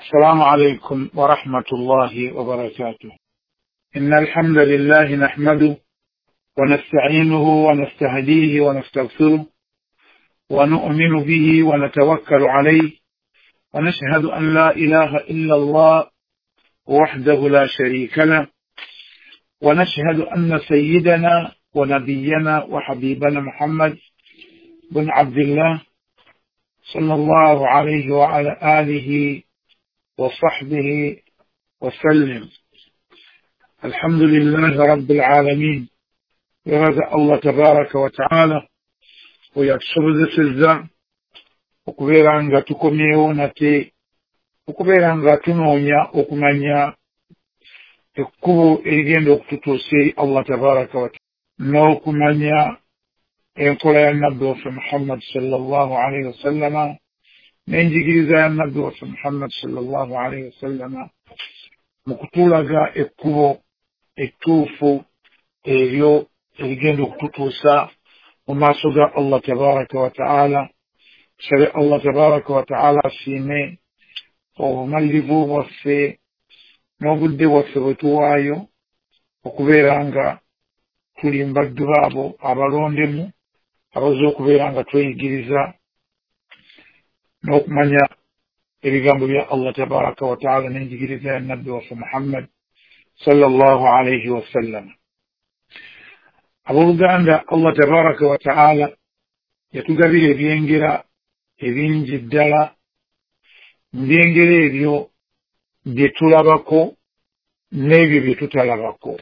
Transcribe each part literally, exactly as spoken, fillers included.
السلام عليكم ورحمة الله وبركاته. إن الحمد لله نحمده ونستعينه ونستهديه ونستغفره ونؤمن به ونتوكل عليه، ونشهد أن لا إله إلا الله وحده لا شريك له، ونشهد أن سيدنا ونبينا وحبيبنا محمد بن عبد الله صلى الله عليه وعلى آله وصحبه وسلم. الحمد لله رب العالمين. يرزق الله تبارك وتعالى oyatusobozesezza okubeera nga tukomyewo nate okubeera nga tunoonya okumanya ekkubo erigenda okututuusa eri Allah tabaraka wataala n'okumanya enkola ya nabbi waffe Muhammad sallallahu alaihi wasallama n'enjigiriza ya nabbi waffe Muhammad sallallahu alaihi wasallama mu kutulaga ekkubo ettuufu eryo erigenda okututuusa mu maaso ga Allah tabaraka wataala. Tusabe Allah tabaraka wataala asiime obumalirivu bwaffe n'obudde bwaffe bwe tuwaayo okubeera nga tuli mbaddu baabo abalondemu abaze okubeera nga tweyigiriza n'okumanya ebigambo bya Allah tabaraka wataala n'enjigiriza ya nabbi waffe Muhammad sallallahu alaihi wasallam. Abooluganda, Allah tabaraka wataala yatugabira ebyengera ebingi ddala. Mu byengera ebyo bye tulabako n'ebyo bye tutalabako,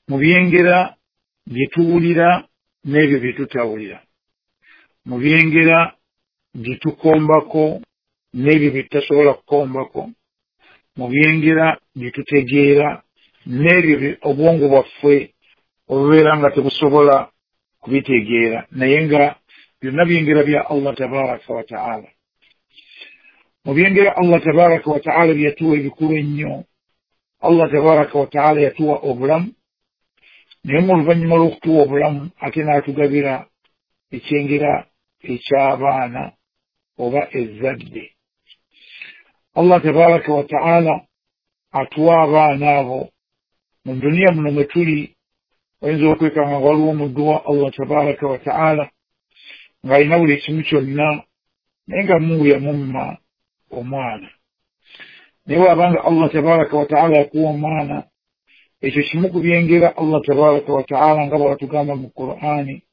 mu byengera bye tuwulira n'ebyo bye tutawulira, mu byengera bye tukombako n'ebyo bye tutasobola kukombako, mu byengera bye tutegeera n'ebyo obwongo bwaffe obubeera nga tebusobola kubitegeera, naye nga byonna byengera bya Allah tabaraka wataala. Mu byengera Allah tabaraka wataala byatuwa ebikulu ennyo, Allah tabaraka wataala yatuwa obulamu, naye mu luvannyuma lw'okutuwa obulamu ate n'atugabira ekyengera eky'abaana oba ezzadde. Allah tabaraka wataala atuwa abaana abo. Mu duniya muno mwe tuli oyinza okwekanga nga waliwo omuddu wa Allah tabaraka wataala ng'alina buli kimu kyonna, naye nga Mungu yamumma omwana. Naye bw'abanga Allah tabaraka wataala yakuwa omwana, ekyo kimu ku byengera Allah tabaraka wataala nga bw'atugamba mu Qur'ani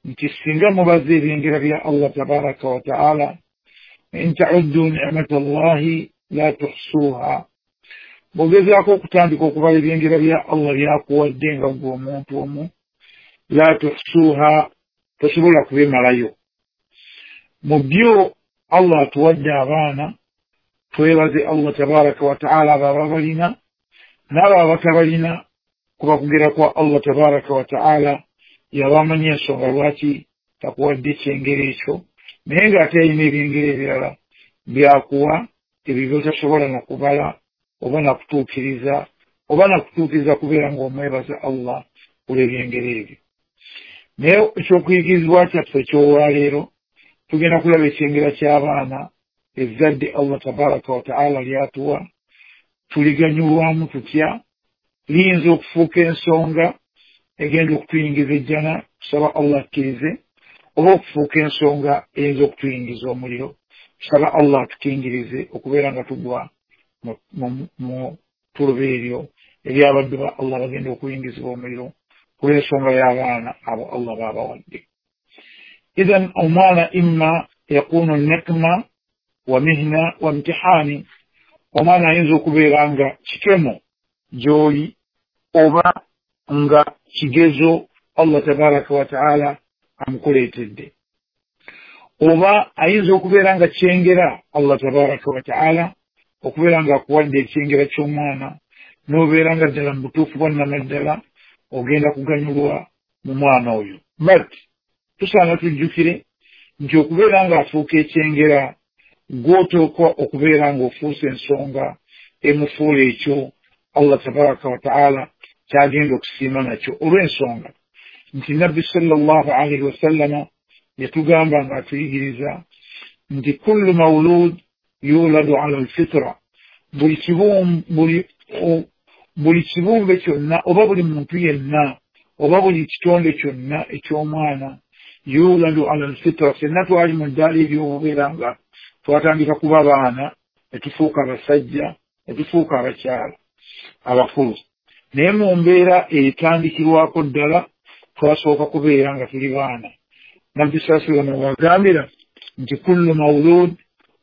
nti singa mubaze ebyengera bya Allah tabaraka wataala, in ta'uddu ni'mata Allahi la tuhsuha, bw'ogezaako okutandika okubala ebyengera bya Allah byakuwadde nga ggwe omuntu omu, la tuhsuha, tosobola kubimalayo. Mu byo Allah atuwadde abaana, twebaze Allah tabaraka wataala abo ababalina n'abo abatabalina, kuba kugera kwa Allah tabaraka wataala yabamanyi ensonga lwaki takuwadde ekyengera ekyo, naye ng'ate alina ebyengera ebirala byakuwa ebyo byotasobola nakubala oba nakutuukiriza oba nakutuukiriza kubeera ng'omwebaza Allah olw'ebyengera ebyo. Naye ekyokuyigirizibwa kyaffe eky'olwaleero tugenda kulaba ekyengera ky'abaana, ezzadde Allah tabaraka wataala lyatuwa, tuliganyulwamu tutya, liyinza okufuuka ensonga egenda okutuyingiza ejjana, tusaba Allah akkirize, oba okufuuka ensonga eyinza okutuyingiza omuliro, tusaba Allah atukingirize okubeera nga tugwa mu tuluba eryo ery'abaddu ba Allah bagenda okuyingizibwa omuliro kulw'ensonga y'abaana abo Allah baabawadde. Idhan omwana imma yakunu nikma wa mihna wa mtihani, omwana ayinza okubeera nga kikemo gy'oli oba nga kigezo Allah tabaraka wataala amukuleetedde, oba ayinza okubeera nga kyengera Allah tabaraka wataala okubeera nga akuwadde ekyengera ky'omwana n'obeera nga ddala mu butuufu bwa nnamaddala ogenda kuganyulwa mu mwana oyo. But tusaana tujjukire nti okubeera ng'afuuka ekyengera gw'oteekwa okubeera ng'ofuusa ensonga emufuula ekyo Allah tabaraka wataala kyagenda okusiima nakyo, olw'ensonga nti nabbi sallallahu alaihi wasallama yatugamba ng'atuyigiriza nti kullu mawulud Yuladu ala alfitra, buli buli kibumbe kyonna oba buli muntu yenna oba buli kitonde kyonna eky'omwana yuladu ala alfitra. Ffenna twali mu ddaala ery'obubeera nga twatandika kuba baana ne tufuuka abasajja ne tufuuka abakyala abakulu, naye mu mbeera etandikirwako ddala twasooka kubeera nga tuli baana. Nabbi sallallahu alayhi wasallam wagambira nti kullu mawlud,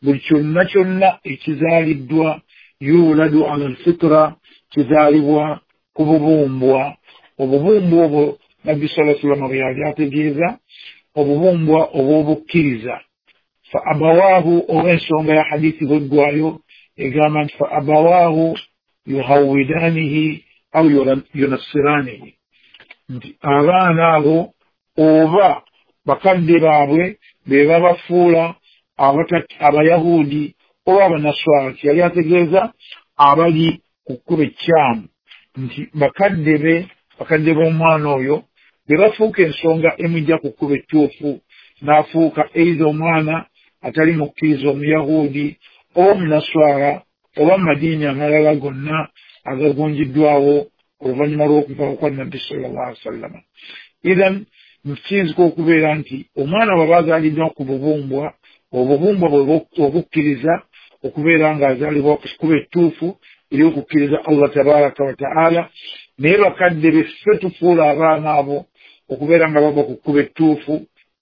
buli kyonna kyonna ekizaaliddwa yuladu ala alfitra, kizaalibwa ku bubumbwa. Obubumbwa obwo Nabbi sallallahu alayhi wasallam bwe yali ategeeza obubumbwa obw'obukkiriza. Fa abawaahu, olw'ensonga ya hadithi bweggwayo egamba nti fa abawaahu yuhawidanihi au yunassiranihi, nti abaana abo oba bakadde baabwe be babafuula Abayahudi oba Abanaswara. Yali ategeeza abali ku kkubo ekkyamu, nti bakadde be bakadde b'omwana oyo be bafuuka ensonga emujja ku kkubo ettuufu, n'afuuka eiza omwana atali mukkiriza Omuyahudi oba Omunaswara oba madiini amalala gonna agagunjiddwawo oluvannyuma lw'okuva kwa Nabbi sallallahu alaihi wasallam. Ithan kiyinzika okubeera nti omwana bw'aba azaaliddwa ku bubumbwa, obubumbwa bwe obukkiriza okubeera ng'azaalibwa ku kkubo ettuufu ery'okukkiriza Allah tabaraka wa taala, naye bakadde be ffe tufuula abaana abo okubeera nga bava ku kkubo ettuufu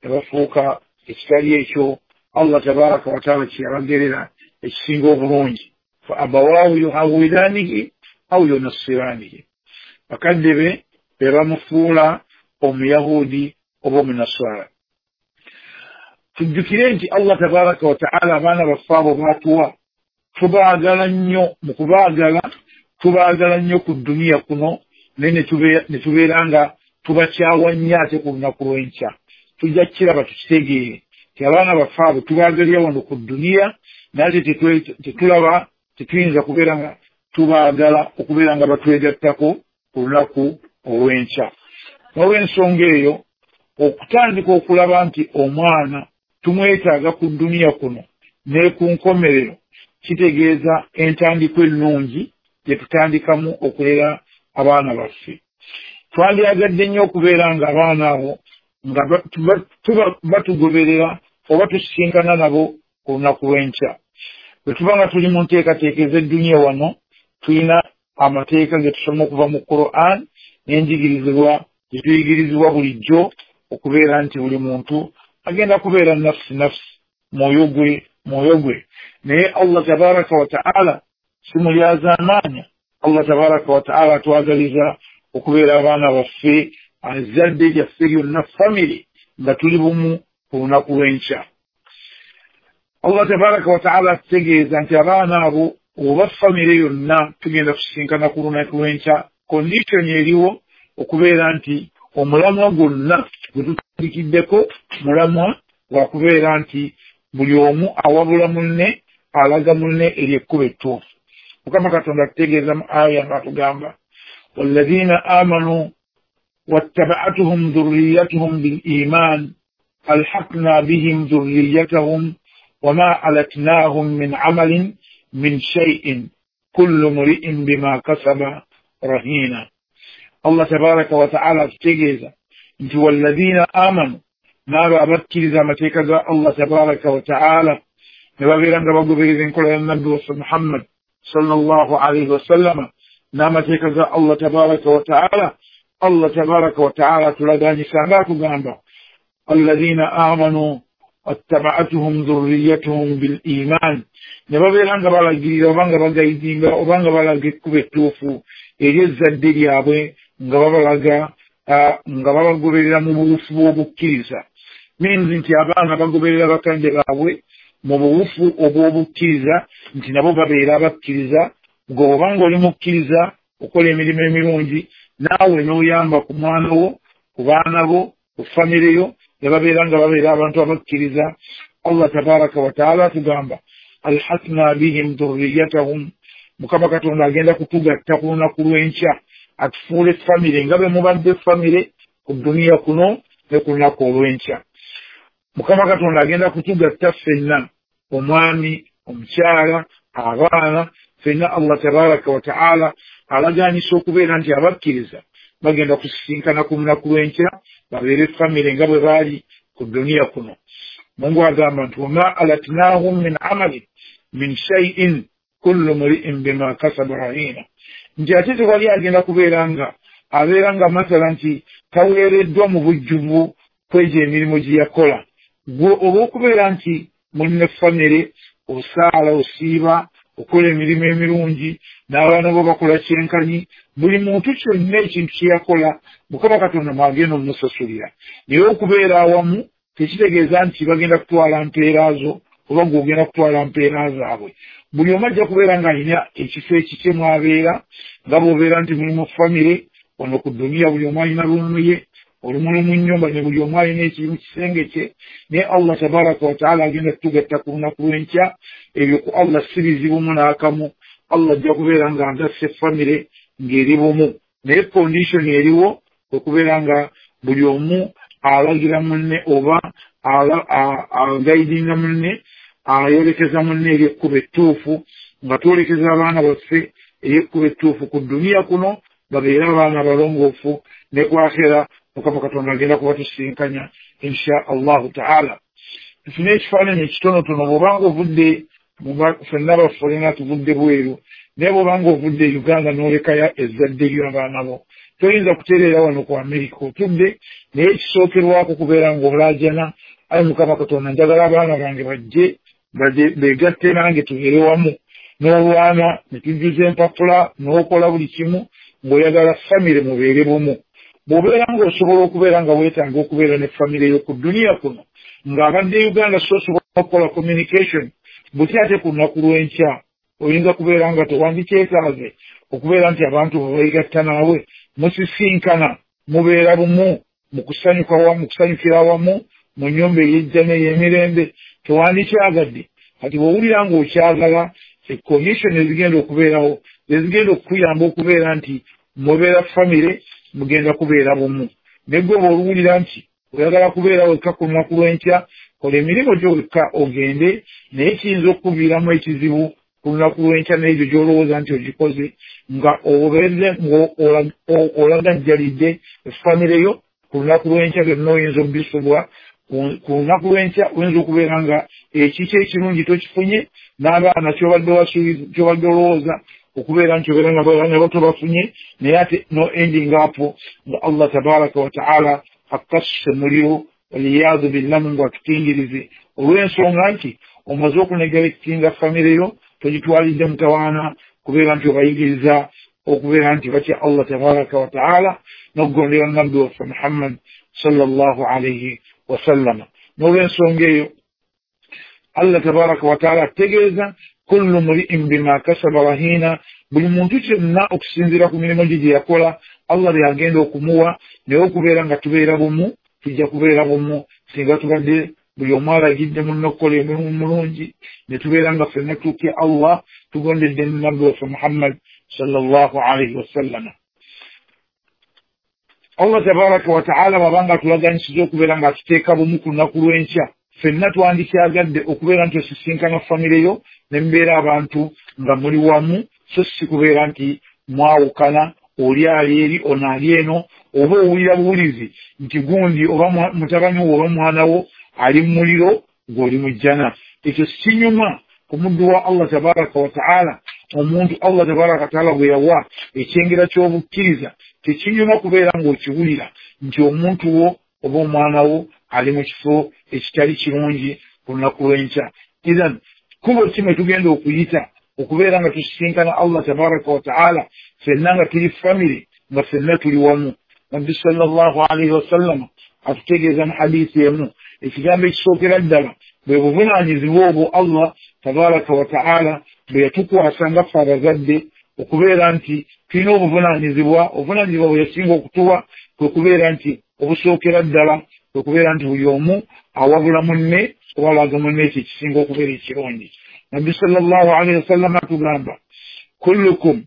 ne bafuuka ekitali ekyo Allah tabaraka wa taala kye yabagerera ekisinga obulungi. Fa abawaahu yuhawidanihi au yunassiranihi, bakadde be be bamufuula Omuyahudi oba Omunaswara. Tujjukire nti Allah tabaraka wa taala abaana baffe abo baatuwa tubaagala nnyo, mu kubaagala tubaagala nnyo ku dduniya kuno, naye ne tubeera nga tubakyawa nnyo ate ku lunaku lw'enkya. Tujja kukiraba tukitegeere nti abaana baffe abo tubaagalira wano ku dduniya, naye ate tetulaba tetuyinza kubeera nga tubaagala okubeera nga batwegattako ku lunaku olw'enkya. N'olw'ensonga eyo okutandika okulaba nti omwana tumwetaaga ku dduniya kuno ne ku nkomerero kitegeeza entandikwa ennungi gye tutandikamu okulera abaana baffe. Twandyagadde nnyo okubeera nga abaana abo nga batugoberera oba tusisinkana nabo ku lunaku lw'enkya. Bwe tuba nga tuli mu nteekateeka ez'edduniya wano, tulina amateeka ge tusoma okuva mu Quran n'enjigirizibwa gye tuyigirizibwa bulijjo okubeera nti buli muntu agenda kubeera nafsi nafsi, mwoyo gwe mwoyo gwe. Naye Allah tabaraka wa taala si mulyazaamaanya. Allah tabaraka wa taala atwagaliza okubeera abaana baffe, ezzadde lyaffe lyonna, famire nga tuli bumu ku lunaku lw'enkya. Allah tabaraka wa taala atutegeeza nti abaana abo oba famire yonna tugenda kusisinkana ku lunaku lw'enkya. Kondishoni eriwo okubeera nti omulamwa gwonna gwe tutandikiddeko mulamwa gwakubeera nti buli omu awabula munne, alaga munne eri ekkubo ettuufu. Mukama Katonda atutegeeza mu aya ng'atugamba walladhina amanu wattaba'atuhum dhurriyyatuhum bil iman alhaqna bihim dhurriyyatahum wama alatnahum min amalin min shay'in kullu mri'in bima kasaba rahina. Allah tabaraka wa taala atutegeeza nti walladhina amanu, n'abo abakkiriza amateeka ga Allah tabaraka wa taala ne babeera nga bagoberera enkola ya Nabbi waffe Muhammad sallallahu alaihi wasallama n'amateeka ga Allah tabaraka wa taala. Allah tabaraka wa taala atulaganyisa nga atugamba alladhina amanu wattaba'atuhum dhurriyyatuhum bil iman, ne babeera nga balagirira oba nga bagayidinga oba nga balaga ekkubo ettuufu eri ezzadde lyabwe nga babalaga nga babagoberera mu buwufu bw'obukkiriza. Means nti abaana bagoberera bakadde baabwe mu buwufu obw'obukkiriza, nti nabo babeera abakkiriza. Gwe oba ng'oli mukkiriza okola emirimu emirungi, naawe n'oyamba ku mwana wo, ku baana bo, ku famire yo, ne babeera nga babeera abantu abakkiriza. Allah tabaraka wa taala atugamba alhaqna bihim dhurriyyatahum, Mukama Katonda agenda kutugatta ku lunaku lw'enkya atufuule famire nga bwe mubadde famire ku dduniya kuno ne ku lunaku olw'enkya. Mukama Katonda agenda kutugatta ffenna, omwami Omukyala, abaana, ffenna Allah tabaraka wa taala alagaanyisa okubeera nti abakkiriza bagenda kusisinkana ku lunaku lw'enkya babeere famire nga bwe baali ku duniya kuno. Mungu agamba nti wama alatnahum min amalin min shay'in kullu mri'in bima kasaba rahina, nti ate tewali agenda kubeera nga abeera nga mathala nti taweereddwa mu bujjuvu kwegyo emirimu gye yakola. Gwe olw'okubeera nti mulina famire, osaala, osiiba, okola emirimu emirungi, n'abaana bo bakola kyenkanyi, buli muntu kyonna ekintu kye yakola Mukama Katonda mwagenda omusasulira. Naye okubeera awamu tekitegeeza nti bagenda kutwala mpeera zo oba ng'ogenda kutwala mpeera zaabwe. Buli omu ajja kubeera ng'alina ekifo ekikye mw'abeera, nga bw'obeera nti muli mu famire wano ku duniya buli omu alina ruumu ye, olumuli mu nnyumba ne buli omu alina ekiri mu kisenge kye. Naye Allah tabaraka wa taala agenda kutugatta ku lunaku lw'enkya. Ebyo ku Allah si bizibumu n'akamu. Allah ajja kubeera nga agasse famire ng'eri bumu, naye condition eriwo okubeera nga buli omu alagira munne oba agayidinga munne, ayolekeza munne eri ekkubo ettuufu, nga twolekeza abaana baffe eri ekkubo ettuufu ku duniya kuno, babeere abaana abalongoofu, ne ku akhera Mukama Katonda agenda kubatusinkanya insha Allahu taala. Tufune ekifaananyi ekitonotono. Bw'obanga ovudde, ffenna bafolena tuvudde bweru, naye bw'obanga ovudde Uganda n'olekayo ezzadde lyo abaana bo, toyinza kutereera wano ku Amerika otudde, naye ekisookerwako kubeera ng'olaajana, ayi Mukama Katonda njagala abaana bange bajje beegatte nange tubeere wamu. N'olwana ne tujjuza empapula n'okola buli kimu ng'oyagala famire mubeere bumu. Bw'obeera ng'osobola okubeera nga weetaaga okubeera ne famire yo ku duniya kuno, ng'abadde Uganda so osobola okukola communication, buti ate ku lunaku lw'enkya oyinza kubeera nga tewandikyetaaze okubeera nti abantu beegatta naawe, musisinkana, mubeera bumu mu kusanyuka wamu, mu kusanyukira wamu mu nnyumba ey'ejjana ey'emirembe. Tewandikyagadde. Kati bw'owulira ng'okyagala, condition ezigenda okubeerawo ezigenda okukuyamba okubeera nti mubeera famire, mugenda kubeera bumu. Ne gwe bw'owulira nti oyagala kubeera wekka ku lunaku lw'enkya, kola emirimu gyo wekka ogende, naye kiyinza okukuviiramu ekizibu ku lunaku lw'enkya n'ebyo gy'olowooza nti ogikoze nga obeeze ng'olagajjalidde famire yo ku lunaku lw'enkya byonna oyinza okubisubwa. Ku lunaku lw'enkya oyinza okubeera nga ekikyo ekirungi tokifunye, n'abaana ky'obadde ky'obadde olowooza okubeera nti obeera nga abaana bo tobafunye, naye ate no ending up nga Allah tabaraka wa taala akkasse muliro, waliyadu billah, Mungu atutingirize, olw'ensonga nti omaze okunegerekitinga famire yo, togitwalidde mutawaana kubeera nti obayigiriza okubeera nti batya Allah tabaraka wa taala n'okugondera nabbi waffe Muhammad sallallahu alayhi wasallama. N'olw'ensonga eyo Allah tabaraka wa taala ategeeza kullu mri'in bima kasaba rahina, buli muntu kyonna okusinziira ku mirimu gye gye yakola Allah by'agenda okumuwa. Naye okubeera nga tubeera bumu, tujja kubeera bumu singa tubadde buli omu alagidde munne okukola emirimu mulungi, ne tubeera nga ffenna tutya Allah, tugondedde nabbi waffe Muhammad sallallahu alayhi wasallama. Allah tabaraka wa taala bw'abanga atulaganyisiza okubeera nga atuteeka bumu ku lunaku lw'enkya, ffenna twandikyagadde okubeera nti osisinkana famire yo ne mubeera abantu nga muli wamu, so si kubeera nti mwawukana, oli ali eri ono ali eno, oba owulira buwulizi nti gundi oba mutabani wo oba mwana wo ali mu muliro gw'oli mu jjana. Ekyo si kinyuma ku muddu wa Allah tabaraka wa taala. Omuntu Allah tabaraka wa taala bwe yawa ekyengera ky'obukkiriza, tekinyuma kubeera ng'okiwulira nti omuntu wo oba omwana wo ali mu kifo ekitali kirungi ku lunaku lw'enkya. Ithan kkubo ki mwe tugenda okuyita okubeera nga tusisinkana Allah tabaraka wa taala ffenna nga tuli famire, nga ffenna tuli wamu? Nabbi sallallahu alaihi wasallama atutegeeza mu hadiisi emu ekigambo ekisookera ddala bwe buvunaanyizibwa obwo Allah tabaraka wa taala bwe yatukwasa nga ffe abazadde okubeera nti tulina obuvunaanyizibwa. Obuvunaanyizibwa bwe yasinga okutuwa kwe kubeera nti obusookera ddala kwe kubeera nti buli omu awabula munne oba alaga munne ekyo ekisinga okubeera ekirungi. Nabbi sallallahu alaihi wasallama atugamba kullukum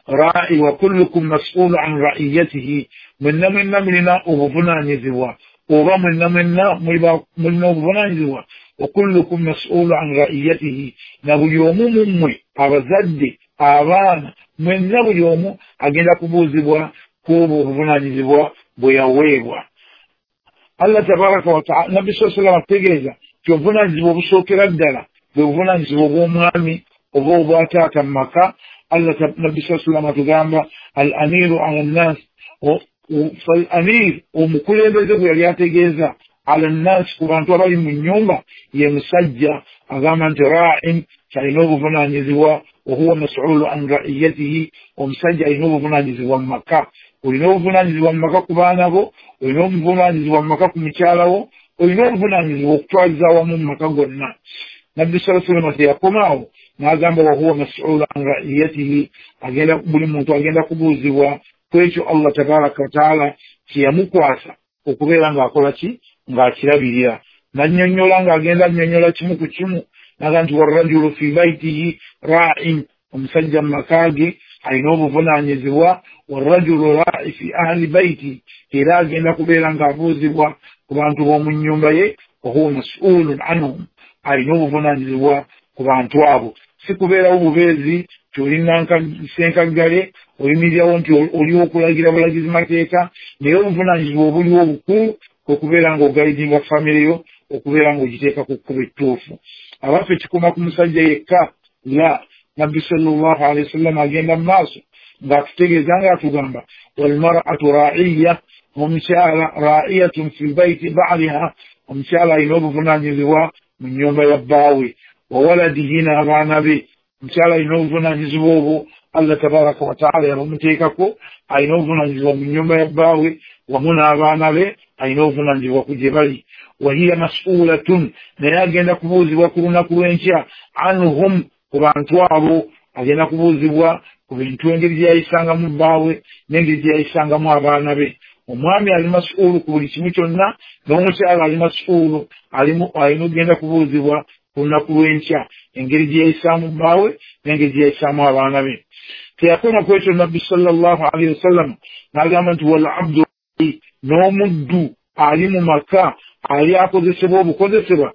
ra'i wa kullukum mas'ulu an ra'iyatihi, mwenna mwenna mulina obuvunaanyizibwa oba mwenna mwenna mulina obuvunaanyizibwa Wa kullukum mas'ulu an ra'iyatihi, na buli omu mu mmwe abazadde, abaana, mwenna buli omu agenda kubuuzibwa ku obwo obuvunaanyizibwa bwe yaweebwa. Allah tabaraka wa taala, Nabbi sallallahu alayhi wasallam ategeeza nti obuvunaanyizibwa obusookera ddala bwe buvunaanyizibwa obw'omwami oba obwataata mu maka. Allah Nabbi sallallahu alayhi wasallam atugamba al amiru ala nnas, fal amir, omukulembeze gwe yali ategeeza ala nnas, ku bantu abali mu nnyumba, ye musajja agamba nti ra'in, alina obuvunaanyizibwa, wa huwa mas'ulu an ra'iyatihi, omusajja alina obuvunaanyizibwa mu maka. Olina obuvunaanyizibwa mu maka ku baana bo, olina obuvunaanyizibwa mu maka ku mukyala wo, olina obuvunaanyizibwa okutwaliza awamu mu maka gonna. Nabbi sallallahu alayhi wasallam teyakomaawo n'agamba wa huwa mas'ulu an ra'iyatihi, agenda buli muntu agenda kubuuzibwa ku ekyo Allah tabaraka wa taala kye yamukwasa okubeera ng'akola ki, ng'akirabirira. Nannyonnyola ng'agenda annyonnyola kimu ku kimu, n'agamba nti warrajulu fi baitihi ra'in, omusajja mu maka ge alina obuvunaanyizibwa, warrajulu ra'i fi ahli baiti, era agenda kubeera ng'abuuzibwa ku bantu b'omu nnyumba ye, wa huwa mas'ulun anhum, alina obuvunaanyizibwa ku bantu abo. Si kubeerawo bubeezi nti oli ssenkaggale, oyimirirawo nti oliwo okulagira bulagizi mateeka, naye obuvunaanyizibwa obuliwo obukulu kwe kubeera ng'ogaidinga famire yo, okubeera ng'ogiteeka ku kkubo ettuufu. Abaffe kikoma ku musajja yekka? La, Nabbi sallallahu alayhi wasallam agenda mu maaso ng'atutegeeza ng'atugamba walmar'atu ra'iya, omukyala ra'iyatun fi baiti ba'liha, omukyala alina obuvunaanyizibwa mu nnyumba ya bbaawe, wa waladihi, n'abaana be. Omukyala alina obuvunaanyizibwa obwo Allah tabaraka wa taala yabamuteekako, alina obuvunaanyizibwa mu nnyumba ya bbaawe wamu n'abaana be, alina obuvunaanyizibwa ku gye bali. Wa hiya mas'ulatun, naye agenda kubuuzibwa ku lunaku lw'enkya anhum, ku bantu abo, agenda kubuuzibwa ku bintu engeri gye yayisangamu bbaawe n'engeri gye yayisangamu abaana be. Omwami ali mas'ulu ku buli kimu kyonna, n'omukyala ali mas'ulu, alina okugenda kubuuzibwa ku lunaku lw'enkya engeri gye yayisaamu bbaawe n'engeri gye yayisaamu abaana be. Teyakoma ku ekyo, Nabbi sallallahu alayhi wasallam n'agamba nti wal abdu, n'omuddu ali mu maka ali akozesebwa obukozesebwa,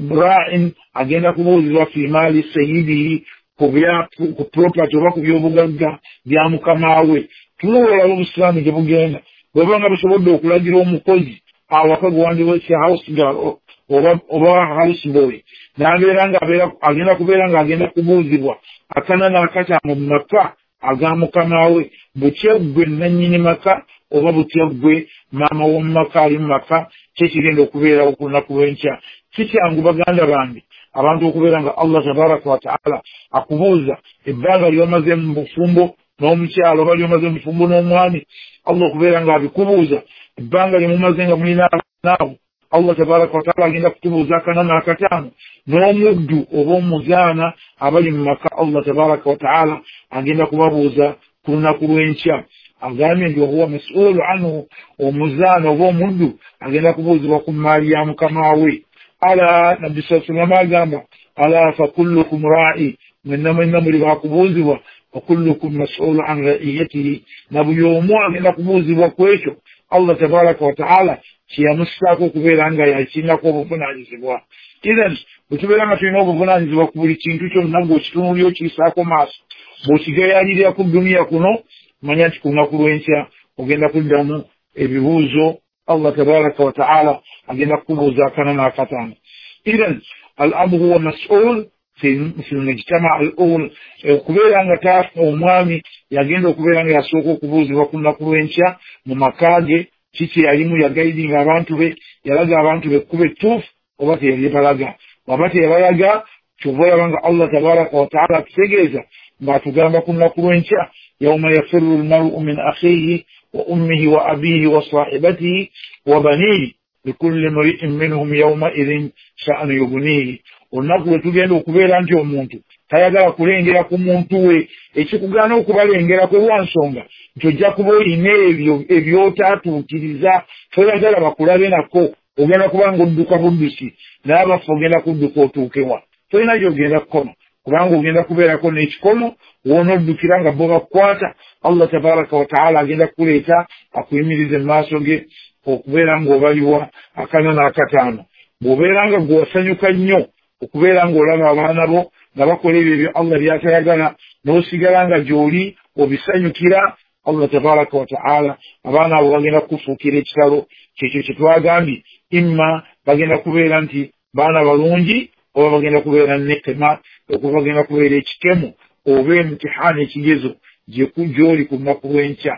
ra'in, agenda kubuuzibwa fi maali sayyidihi, ku property oba ku byobugagga bya mukama we. Tulowoolaba obusiraamu gye bugenda, bweba nga busobodde okulagira omukozi awaka gwe house girl oba oba house boy, n'abeera nga agenda kubeera ng'agenda kubuuzibwa akana n'akataano mu maka aga mukama we, butya ggwe nannyini maka oba butya ggwe maama w'omu maka ali mu maka, kyekigenda okubeerawo ku lunaku lw'enkya. Si kyangu baganda bange abantu okubeera nga Allah tabaraka wa taala akubuuza ebbanga ly'omaze mu bufumbo n'omukyala oba ly'omaze mu bufumbo n'omwami, Allah okubeera ng'abikubuuza ebbanga lye mumaze nga mulina abaana abo. Allah tabaraka wa taala agenda kutubuuza akana n'akataano, n'omuddu oba omuzaana abali mu maka Allah tabaraka wa taala agenda kubabuuza ku lunaku lw'enkya. Agambye nti wahuwa mas'ulu anhu, omuzaana oba omuddu agenda kubuuzibwa ku mmaali ya mukama we. Ala, Nabbi sallallahu alayhi wasallam agamba ala fakullukum ra'i, mwenna mwenna muli bakubuuzibwa, wa kullukum mas'ulu an ra'iyatihi, na buli omu agenda kubuuzibwa ku ekyo Allah tabaraka wa taala kyeyamussaako okubeera nga yakirinako obuvunaanyizibwa. Ithan bwe tubeera nga tulina obuvunaanyizibwa ku buli kintu kyonna, ng'okitunuulira okiyisaako maaso, bw'okigayaalirira ku duniya kuno, manya nti ku lunaku lw'enkya ogenda kuddamu ebibuuzo. Allah tabaraka wa taala agenda kukubuuza akana n'akataano. Ithan al abu huwa mas'ul fi mujtama al ul, okubeera nga taata omwami yagenda okubeera nga yasooka okubuuzibwa ku lunaku lw'enkya mu maka ge, kiki yalimu, yagaidinga abantu be, yalaga abantu be ekkubo ettuufu oba teyalibalaga. Bw'aba teyabalaga, kyova olaba nga Allah tabaraka wa taala atutegeeza ng'atugamba ku lunaku lw'enkya yauma yafirru lmaru min akhihi wa ummihi wa abihi wa sahibatihi wa banihi likulli mri'in minhum yawmaidhin sha'nu yughnihi. Olunaku lwe tugenda okubeera nti omuntu tayagala kulengera ku muntu we, ekikugaana okubalengerako lwa nsonga nti ojja kuba olina ebyo ebyotaatuukiriza, toyagala bakulabe nako, ogenda kuba ng'odduka buddusi, naye abaffe ogenda kudduka otuukewa, tolina gy'ogenda kukoma, kubanga ogenda kubeerako n'ekikomo w'onoddukira nga bo bakukwata. Allah tabaraka wa taala agenda kukuleeta akuyimirize mu maaso ge okubeera ng'obaliwa akana n'akataano. Bw'obeera nga gwe wasanyuka nnyo okubeera ng'olaba abaana bo nga bakola ebyo ebyo Allah by'atayagala, n'osigala nga gy'oli obisanyukira, Allah tabaraka wa taala abaana abo bagenda kukufuukira ekitalo. Kyekyo kye twagambye, imma bagenda kubeera nti baana balungi oba bagenda kubeera nekema, okuba bagenda kubeera ekikemo oba emitihaani, ekigezo gy'oli ku lunaku lw'enkya.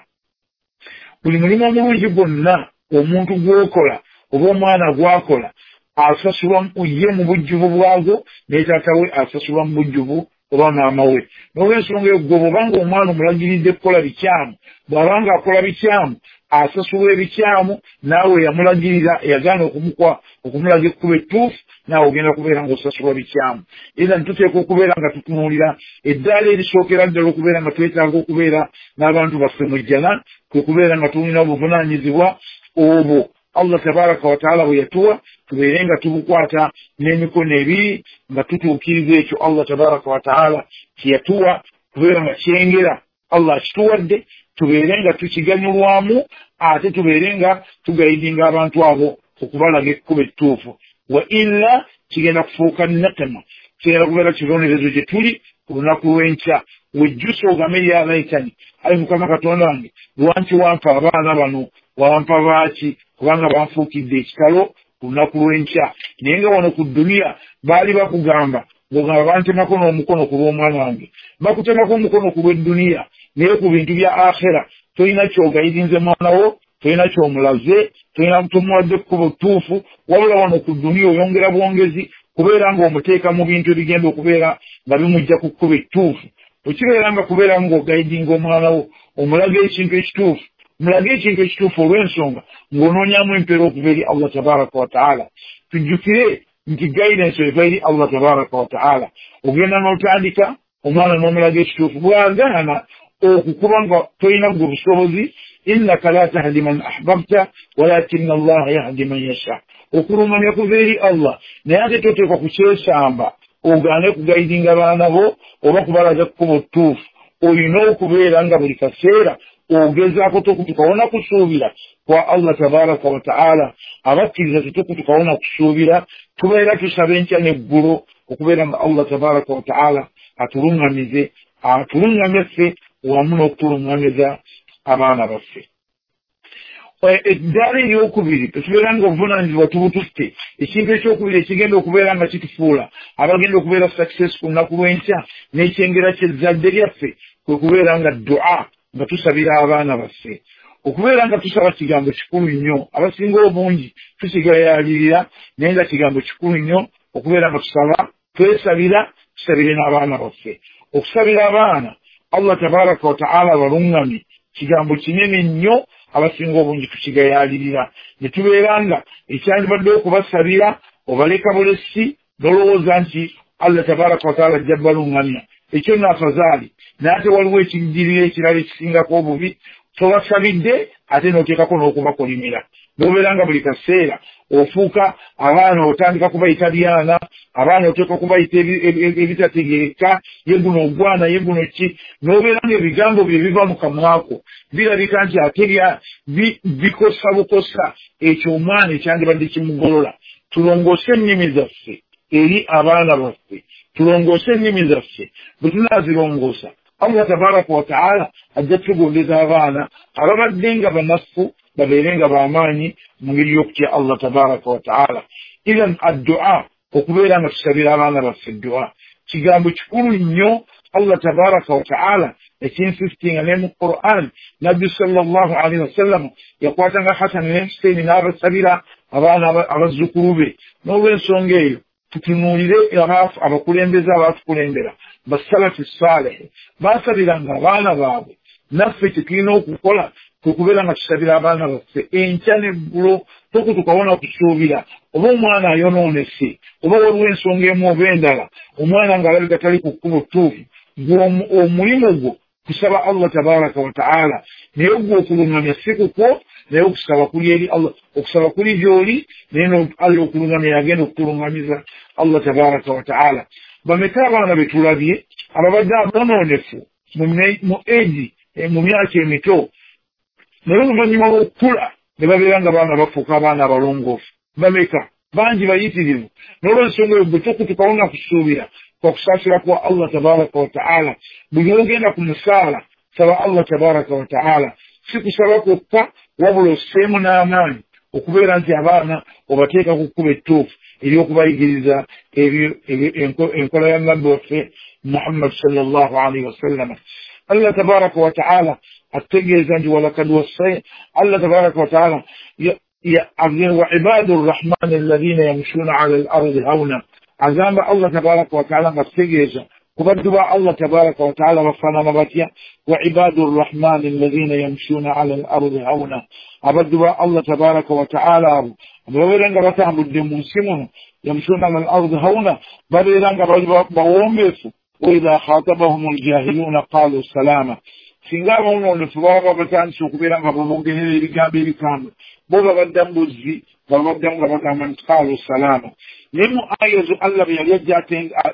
Buli mulimu omulungi gwonna omuntu gw'okola oba omwana gw'akola asasulwa ye mu bujjuvu bwagwo, ne taata we asasulwa mu bujjuvu oba maama we. N'olwensonga eyo gwe bw'obanga omwana omulagiridde kukola bikyamu, bw'abanga akola bikyamu asasulwa ebikyamu, naawe yamulagirira yagaana okumukwa okumulaga ekkubo ettuufu, naawe ogenda kubeera ng'osasulwa bikyamu. Era tuteekwa okubeera nga tutunuulira eddaala erisookera ddala okubeera nga twetaaga okubeera n'abantu baffe mu jjana, kwe kubeera nga tulina obuvunaanyizibwa obwo Allah tabaraka wa taala bwe yatuwa, tubeere nga tubukwata n'emikono ebiri nga tutuukiriza ekyo Allah tabaraka wa taala kye yatuwa, kubeera nga kyengera Allah akituwadde, tubeere nga tukiganyulwamu, ate tubeere nga tugayidinga abantu abo okubalaga ekkubo ettuufu. Wa illa kigenda kufuuka nakema, kigenda kubeera kibonerezo gye tuli ku lunaku lw'enkya. Wejjusa ogambe ya laitani, ayi Mukama Katonda wange, lwaki wampa abaana bano, wampa baaki, kubanga banfuukidde ekitalo ku lunaku lw'enkya. Naye nga wano ku dduniya baali bakugamba ng'ogamba bantemako n'omukono ku lw'omwana wange, bakutemako omukono ku lw'edduniya, naye ku bintu bya akhera tolina ky'ogayidinze mwana wo, tolina ky'omulaze, tolina tomuwadde kkubo ttuufu, wabula wano ku dduniya oyongera bwongezi kubeera ng'omuteeka mu bintu ebigenda okubeera nga bimujja ku kkubo ettuufu. Okibeera nga kubeera ng'ogayidinga omwana wo, omulaga ekintu ekituufu, mulage ekintu ekituufu olw'ensonga ng'onoonyamu empeera okuva eri Allah tabaraka wa taala. Tujjukire nti guidance eva eri Allah tabaraka wa taala. Ogenda n'otandika omwana n'omulaga ekituufu, bw'agaana okukuba nga tolina gwe busobozi, innaka la tahdi man ahbabta walakinna Allaha yahdi man yasha. Okulungamya kuva eri Allah, naye ate toteekwa kukyesamba ogaane kugayidinga baana bo oba kubalaga kkubo ttuufu. Olina okubeera nga buli kaseera ogezaako tokutukawo na kusuubira kwa Allah tabaraka wa taala. Abakkiriza tetukutukawo na kusuubira, tubeera tusaba enkya n'eggulo okubeera nga Allah tabaraka wa taala atulungamize, atulungamye ffe wamu n'okutulungamiza abaana baffe. Eddaala eryokubiri tetubeera nga obuvunaanyizibwa tubututte. Ekintu ekyokubiri ekigenda okubeera nga kitufuula abagenda okubeera success ku lunaku lw'enkya n'ekyengera ky'ezzadde lyaffe kwe kubeera nga dua, nga tusabira abaana baffe. Okubeera nga tusaba kigambo kikulu nnyo, abasinga obungi tusigayalirira, naye nga kigambo kikulu nnyo okubeera nga tusaba, twesabira, tusabire n'abaana baffe. Okusabira abaana Allah tabaraka wa taala abalungamye kigambo kinene nnyo, abasinga obungi tukigayalirira, ne tubeera nga ekyandibadde okubasabira obaleka bulesi n'olowooza nti Allah tabaraka wa taala ajja balungamya. Ekyo nno afazaali, naye ate waliwo ekijjirira ekirala ekisingako obubi, tobasabidde ate n'oteekako n'okubakolimira. Bw'obeera nga buli kaseera ofuuka abaana otandika kubayita byana, abaana oteeka kubayita ebitategeereka, ye guno ogwana, ye guno ki, n'obeera ng'ebigambo bye biva mu kamwako birabika nti ate bikosa bukosa ekyo omwana ekyandibadde kimugolola. Tulongoose ennimi zaffe eri abaana baffe, tulongoose ennimi zaffe. Bwe tunaazirongoosa Allah tabaraka wa taala ajja tugondeza abaana ababadde nga banafu babeere nga bamaanyi mu ngeri y'okutya Allah tabaraka wa taala. Ithan addua, okubeera nga tusabira abaana baffe dua kigambo kikulu nnyo. Allah tabaraka wa taala ekinsistinga ne mu Quran, Nabbi sallallahu alaihi wasallam yakwatanga Hasan ne Huseini n'abasabira abaana abazzukulu be. N'olw'ensonga eyo tutunuulire abakulembeze abatukulembera basalafi saalihi, baasabiranga abaana baabwe. Naffe kye tulina okukola kwe kubeera nga tusabira abaana baffe enkya n'eggulo, tokutukawo na kusuubira oba omwana ayonoonese oba waliwo ensonga emu oba endala, omwana ng'alabika tali ku kkubo ttuufu, gwe omulimu gwo kusaba Allah tabaraka wa taala. Naye gwe okulungamya si kukwo, naye okusaba kuli eri Allah, okusaba kuli gy'oli, naye Allah okulungamya yagenda okutulungamiza Allah tabaraka wa taala. Bameka abaana be tulabye ababadde abonoonefu mu egi mu myaka emito, naye oluvannyuma lw'okukula ne babeera nga baana bafuuka abaana abalongoofu. Bameka Bangi bayitirivu. N'olwensonga eyo bwe tukutukawo nga kusuubira kwa kusaasira kwa Allah tabaraka wa taala. Buli ogenda ku musaala saba Allah tabaraka wa taala, si kusaba kwokka wabula osseemu n'amaanyi okubeera nti abaana obateeka ku kkubo ettuufu ery'okubayigiriza enkola ya nabbi waffe Muhammad sallallahu alaihi wasallama. Allah tabaraka wa taala atutegeeza nti walakad wassay, Allah tabaraka wa taala wa ibadu rrahmani alladhina yamshuna ala al-ardi hauna. Agamba Allah tabaraka wa taala nga tutegeeza ku baddu ba Allah tabaraka wa taala bafaanana batya. Wa ibadu rrahmani alladhina yamshuna ala al-ardi hauna, abaddu ba Allah tabaraka wa taala abo babeera nga batambudde mu nsi muno, yamshuna ala al-ardi hauna, babeera nga bali bawombeefu. Wa idha khatabahum al-jahiluna qalu salama, singa abawonoonefu baba batandise okubeera nga babongerera ebigambo ebikambwe, bo babaddamu buzzi, babaddamu nga bagamba nti qalu salama. Naye mu aya ezo Allah bwe yali ajja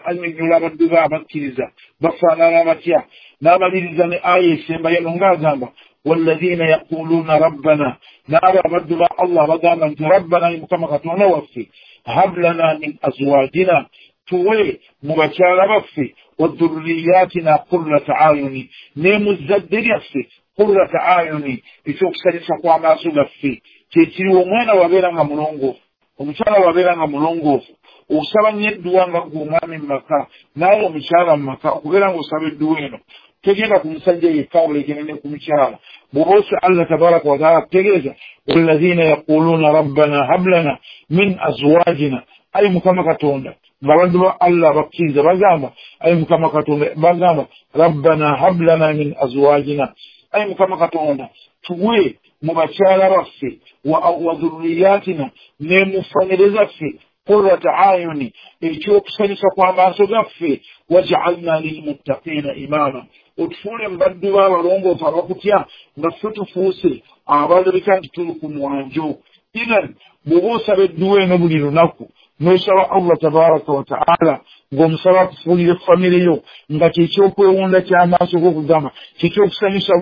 annyonnyola abaddu be abakkiriza bafaanana batya, n'amaliriza ne aya esembayo ng'agamba walladhina yaquluna rabbana, n'abo abaddu ba Allah bagamba nti rabbana, Mukama Katonda waffe, hab lana min azwajina, tuwe mu bakyala baffe, wa dhurriyatina qurrata ayuni, ne mu zzadde lyaffe qurrata ayuni, ekyokusanyusa kw'amaaso gaffe. Kyekiriwo omwana wabeera nga mulongoofu, omukyala wabeera nga mulongoofu, osaba nnyo edduwa nga gwe omwami mu maka naawe omukyala mu maka, okubeera ng'osaba edduwa eno tegenda ku musajja yekka wabula egenda ne ku mukyala. Bw'oba osa Allah tabaraka wa taala akutegeeza walladhina yaquluna rabbana hab lana min azwajina, ayi Mukama Katonda, ng'abaddu ba Allah bakkiriza bagamba ayi Mukama Katonda, bagamba rabbana hab lana min azwajina, ayi Mukama Katonda tuwe mu bakyala baffe wa dhurriyatina, ne mu famire zaffe, qurrata ayuni, ekyokusanyusa kw'amaaso gaffe, waj'alna lilmuttaqina imama, otufuule mu baddu b'abalongoofu abakutya nga ffe tufuuse abalabika nti tuli ku mwanjo. Ithan bw'oba osaba edduwa eno buli lunaku n'osaba Allah tabaraka wa taala ng'omusaba akufuulire famire yo nga kyekyokwewunda ky'amaaso g'okugamba kyekyokusanyusa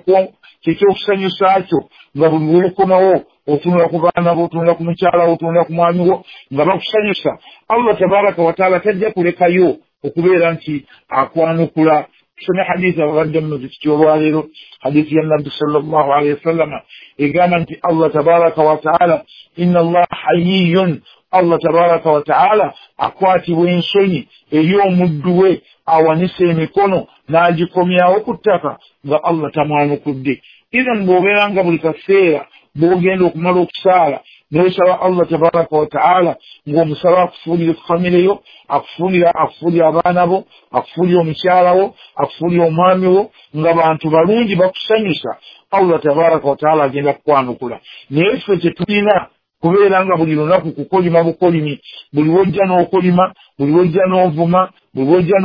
kyekyokusanyusa kyo, nga buli lw'okomawo otunula ku baana bo, otunula ku mukyala wo, otunula ku mwami wo nga bakusanyusa, Allah tabaraka wa taala tajja kulekayo okubeera nti akwanukula. Tusome hadithi ababadde mu muzikiti olwaleero, hadithi ya nabbi sallallahu alaihi wasallama egamba nti Allah tabaraka wa taala inna Allah hayyun, Allah tabaraka wa taala akwatibwa ensonyi eri omuddu we awanise emikono n'agikomyawo ku ttaka nga Allah tamwanukudde. Ithan bw'obeera nga buli kaseera bw'ogenda okumala okusaala n'osaba Allah tabaraka wa taala ng'omusaba akufuulire famire yo, akufuulire akufuulire abaana bo, akufuulire omukyala wo, akufuulire omwami wo, nga bantu balungi bakusanyusa, Allah tabaraka wa taala agenda kukwanukula. Naye ffe kye tulina kubeera nga buli lunaku kukolima bukolimi, buli wojja n'okolima, buli wojja n'ovuma, buli wojja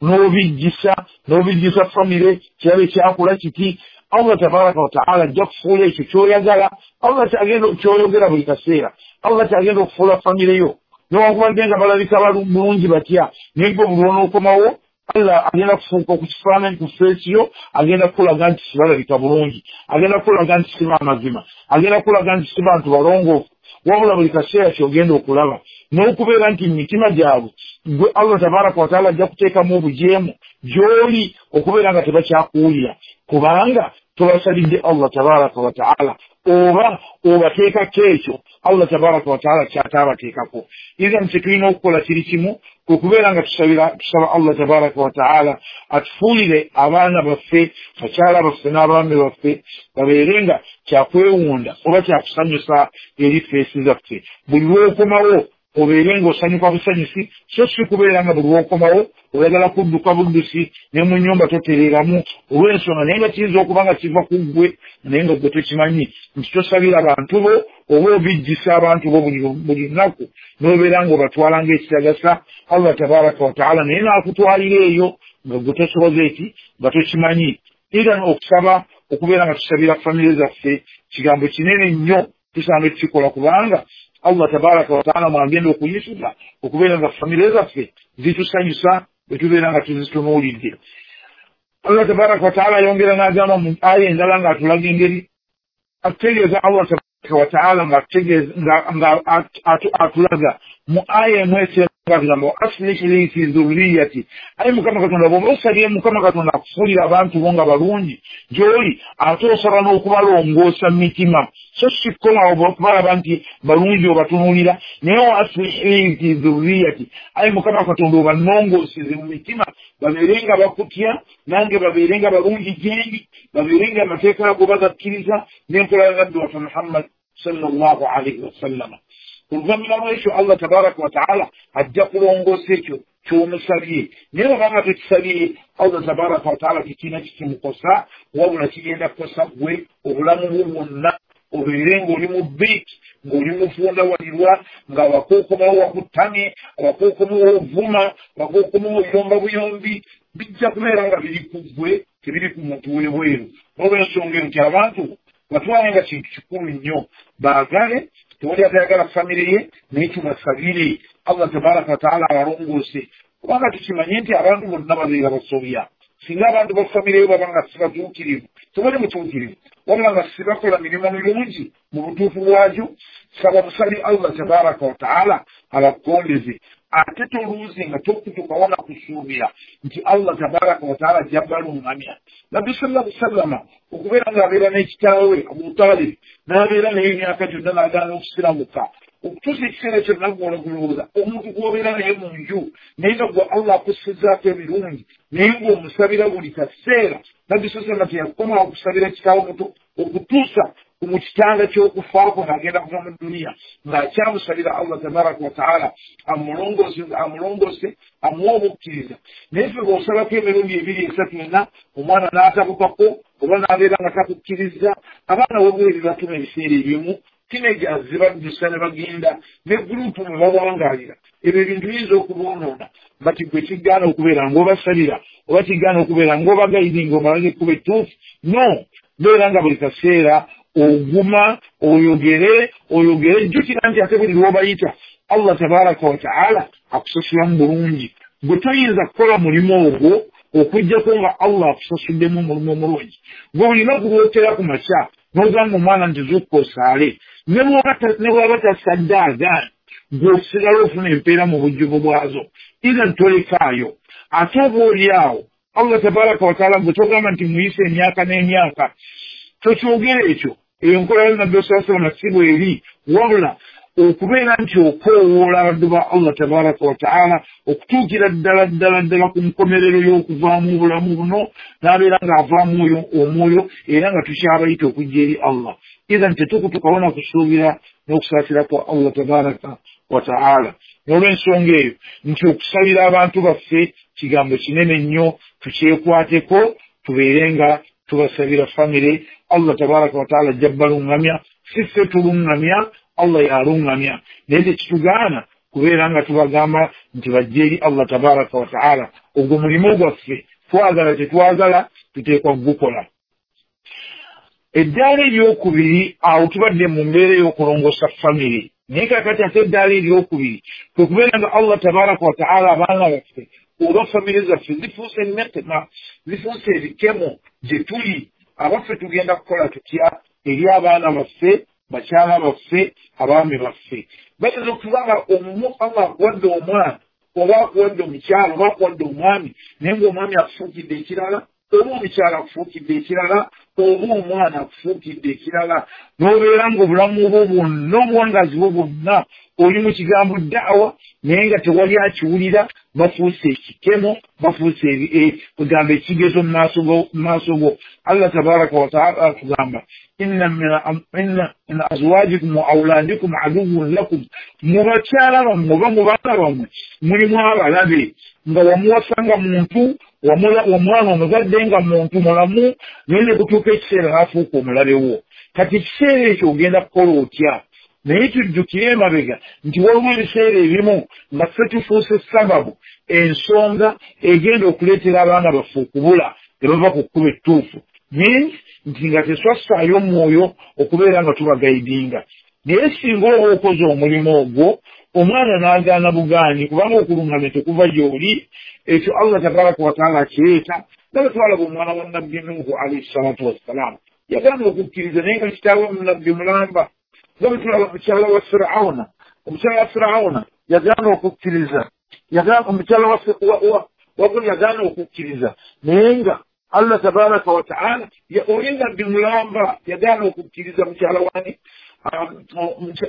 n'obijjisa n'obijjisa famire kirabe kyakola kiti. Allah tabaraka wa taala ajja kufuula ekyo ky'oyagala, Allah kyagenda ky'oyogera buli kaseera, Allah kyagenda okufuula famire yo newankubadde nga balabika bulungi batya, naye gwe buli lw'onookomawo Allah agenda kufuuka ku kifaananyi ku feesi yo, agenda kukulaga nti sibalabika bulungi, agenda kukulaga nti si b'amazima, agenda kukulaga nti si bantu balongoofu. Wabula buli kaseera ky'ogenda okulaba n'okubeera nti mu mitima gyabwe gwe Allah tabaraka wa taala ajja kuteekamu obujeemu gy'oli okubeera nga tebakyakuwulira, kubanga tobasalidde Allah tabaraka wa taala oba obateekako ekyo Allah tabaraka wa taala kyataabateekako. Ithan kye tulina okukola kiri kimu, kwe kubeera nga tusabira tusaba Allah tabaraka wa taala atufuulire abaana baffe, bakyala baffe n'abaami baffe babeere nga kyakwewunda oba kyakusanyusa eri feesi zaffe. Buli lw'okomawo obeere ng'osanyuka busanyusi, so si kubeera nga buli lw'okomawo oyagala kudduka buddusi ne mu nnyumba totereeramu olw'ensonga, naye nga kiyinza okuba nga kiva ku ggwe naye nga ggwe tokimanyi nti tosabira bantu bo oba obijjisa abantu bo buli lunaku n'obeera ng'obatwala ng'ekitagasa Allah tabaraka wa taala naye n'akutwalira eyo nga ggwe tosoboza eki nga tokimanyi. Era okusaba okubeera nga tusabira famire zaffe kigambo kinene nnyo, tusaana tukikola kubanga Allah tabaraka wa taala mwagenda okuyisuza okubeera nga famire zaffe zitusanyusa bwe tubeera nga tuzitunuulidde. Allah tabaraka wa taala ayongera n'agamba mu aya endala ng'atulaga engeri atutegeeza Allah Wa taala nga nga atulaga mu aya emu esemba aslih li fi dhurriyyati, ayi Mukama Katonda bw'oba osabye Mukama Katonda akufuulira abantu bo nga balungi gy'oli, ate osaba n'okubalongoosa mu mitima, so si kukoma okubalaba nti balungi obatunuulira, naye wa aslih li fi dhurriyyati, ayi Mukama Katonda obannongooseze mu mitima, babeere nga bakutya nange babeere nga balungi gyendi, babeere nga amateeka ago bagakkiriza n'enkola ya Nabbi waffe Muhammad sallallahu alaihi wasallama. Oluvannyuma lw'ekyo Allah tabaraka wa taala ajja kulongoosa ekyo ky'omusabye, naye bw'obanga tekisabye Allah tabaraka wa taala tekirina kikimukosa, wabula kigenda kukosa ggwe obulamu bwo bwonna, obeere ng'oli mu biiki, ng'oli mufunda walirwa, nga wakookomawo wakuttamye, wakookomawo ovuma, wakookomawo oyomba buyombi, bijja kubeera nga biri ku ggwe, tebiri ku muntu w'ebweru. N'olw'ensonga eyo nti abantu batwale nga kintu kikulu nnyo, baagale, tewali atayagala famire ye, naye tubasabire Allah tabaraka wataala abalongoose, kubanga tukimanye nti abantu bonna babeera basobya. Singa abantu ba famire yo baba nga si batuukirivu, tewali mutuukirivu, wabula nga si bakola mirimu mirungi mu butuufu bwagyo, saba busabi Allah tabaraka wataala abakondeze, ate toluuzi nga tokutukawo na kusuubira nti Allah tabaraka wataala ajja baluŋŋamya. Nabbi sallallahu alaihi wasallama okubeera ng'abeera n'ekitaawe Abu Talib, n'abeera naye emyaka gyonna n'agaana okusiramuka, okutuusa ekiseera ekyo naggwe olowooza omuntu gw'obeera naye mu nju, naye nga gwe Allah akussizaako ebirungi, naye ng'omusabira buli kaseera. Nabbi sallallahu alaihi wasallama teyakomawo okusabira kitaawe muto okutuusa mu kitanda ky'okufaako ng'agenda kuva mu duniya, ng'akyamusabira Allah tabaraka wataala amulongoose amulongoose amuwe obukkiriza. Naye ffe bw'osabako emirundi ebiri esatu ena omwana n'atabukako oba n'abeera nga takukkiriza, abaana webweri batuma ebiseera ebimu teenagers zibaddusa ne bagenda ne gurupu mwe bawangalira, ebyo ebintu biyinza okuboonoona. Bati gwe kigaana okubeera ng'obasabira oba kigaana okubeera ng'obagayidinga omalaga ekkubo ettuufu, no, beera nga buli kaseera oguma oyogere oyogere, jjukira nti ate buli lw'obayita Allah tabaraka wataala akusasulamu bulungi. Gwe toyinza kukola mulimu ogwo okuggyako nga Allah akusasuddemu omulimu omulungi. Gwe olina kulwotera ku makya n'ogamba omwana nti zuukuka osaale, ne bw'aba tasadde agaana, gwe osigala ofuna empeera mu bujjuvu bwazo, either tolekaayo. Ate oba oli awo Allah tabaraka wataala gwe togamba nti muyise emyaka n'emyaka, tokyogera ekyo, eyo enkola ya Nabbi sallallahu alaihi wasallam si bw'eri, wabula okubeera nti okoowoola abaddu ba Allah tabaraka wataala okutuukira ddala ddala ddala ku nkomerero y'okuvaamu obulamu buno, n'abeera ng'avaamu oyo omwoyo era nga tukyabayita okujja eri Allah. Ithan tetukutukawo na kusuubira n'okusaasira kwa Allah tabaraka wataala. N'olw'ensonga eyo nti okusabira abantu baffe kigambo kinene nnyo, tukyekwateko, tubeere nga tubasabira famire. Allah tabaraka wataala ajja baluŋŋamya, si ffe tuluŋŋamya, Allah yaluŋŋamya, naye tekitugaana kubeera nga tubagamba nti bajje eri Allah tabaraka wataala. Ogwo mulimu gwaffe, twagala tetwagala tuteekwa kugukola. Eddaala eryokubiri, awo tubadde mu mbeera ey'okulongoosa famire, naye kaakati ate eddaala eryokubiri kwe kubeera nga Allah tabaraka wataala abaana baffe oba famire zaffe zifuuse emitima, zifuuse ebikemo gye tuli. Abaffe tugenda kukola tutya eri abaana baffe, bakyala baffe, abaami baffe? Bayinza okuba nga omumu Allah akuwadde omwana oba akuwadde omukyala oba akuwadde omwami, naye ng'omwami akufuukidde ekirala, oba omukyala akufuukidde ekirala, oba omwana akufuukidde ekirala, n'obeera ng'obulamu bwo bwonna obuwangazi bwo bwonna oli mu kigambo da'wa, naye nga tewali akiwulira, bafuuse ekikemo, bafuuse kugamba ekigezo mu maaso go. Allah tabaraka wataala akugamba inna min azwajikum wa auladikum aduwwun lakum, mu bakyala bammwe oba mu baana bammwe mulimu abalabe, nga wamuwasa nga muntu, omwana omuzadde nga muntu mulamu, naye ne kutuuka ekiseera n'afuuka omulabe wo. Kati ekiseera ekyo ogenda kukola otya? Naye tujjukire emabega nti waliwo ebiseera ebimu nga ffe tufuuse sababu, ensonga egenda okuleetera abaana baffe okubula ne bava ku kkubo ettuufu, means nti nga tetwassaayo omwoyo okubeera nga tubagaidinga. Naye singa oba okoze omulimu ogwo omwana n'agaana bugaanyi, kubanga okuluŋŋamya tekuva gy'oli, ekyo Allah tabaraka wataala akireeta. Nga bwe twalaba omwana wa Nabbi Nuhu alaihi salatu wassalaamu, yagaana okukkiriza naye nga kitaawe Nabbi mulamba. Nga bwe tulaba omukyala wa Firawuna, omukyala wa Firawuna yagaana okukkiriza, omukyala wa yagaana okukkiriza, naye nga Allah tabaraka wa taala oli nabbi mulamba yagaana okukkiriza. Mukyala wani,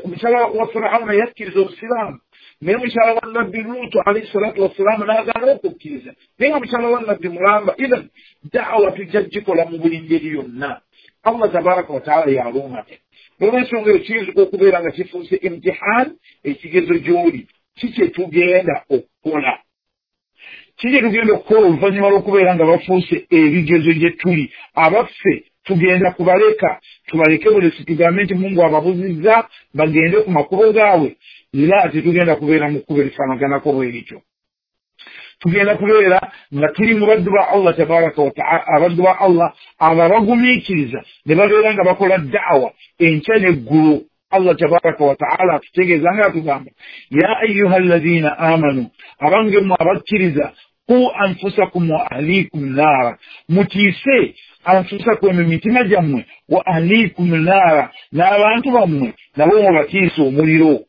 omukyala wa Firawuna yakkiriza obusiraamu, naye mukyala wa nabbi Luutu alayhi salatu wassalaamu n'agaana okukkiriza, naye nga mukyala wa nabbi mulamba. Ithan da'awa tujja gikola mu buli ngeri yonna. Allah tabaraka wa taala yalungamya. Olw'ensonga eyo kiyinzika okubeera nga kifuuse imtihan, ekigezo gy'oli. Ki kye tugenda okukola? Ki kye tugenda okukola oluvannyuma lw'okubeera nga bafuuse ebigezo gye tuli? Abaffe tugenda kubaleka, tubaleke bulesi, tugambe nti Mungu ababuzizza bagende ku makubo gaabwe? Era tetugenda kubeera mu kkubo erifaanaganako bwe lityo. Tugenda kubeera nga tuli mu baddu ba Allah tabaraka wa taala, abaddu ba Allah abo abagumiikiriza ne babeera nga bakola da'awa enkya n'eggulu. Allah tabaraka wa taala atutegeeza nga atugamba, ya ayuha alladhina amanu, abange mmwe abakkiriza, qu anfusakum wa ahlikum naara, mutiise anfusakum emitima gyammwe, wa ahlikum naara, n'abantu bammwe nabo mubatiise omuliro.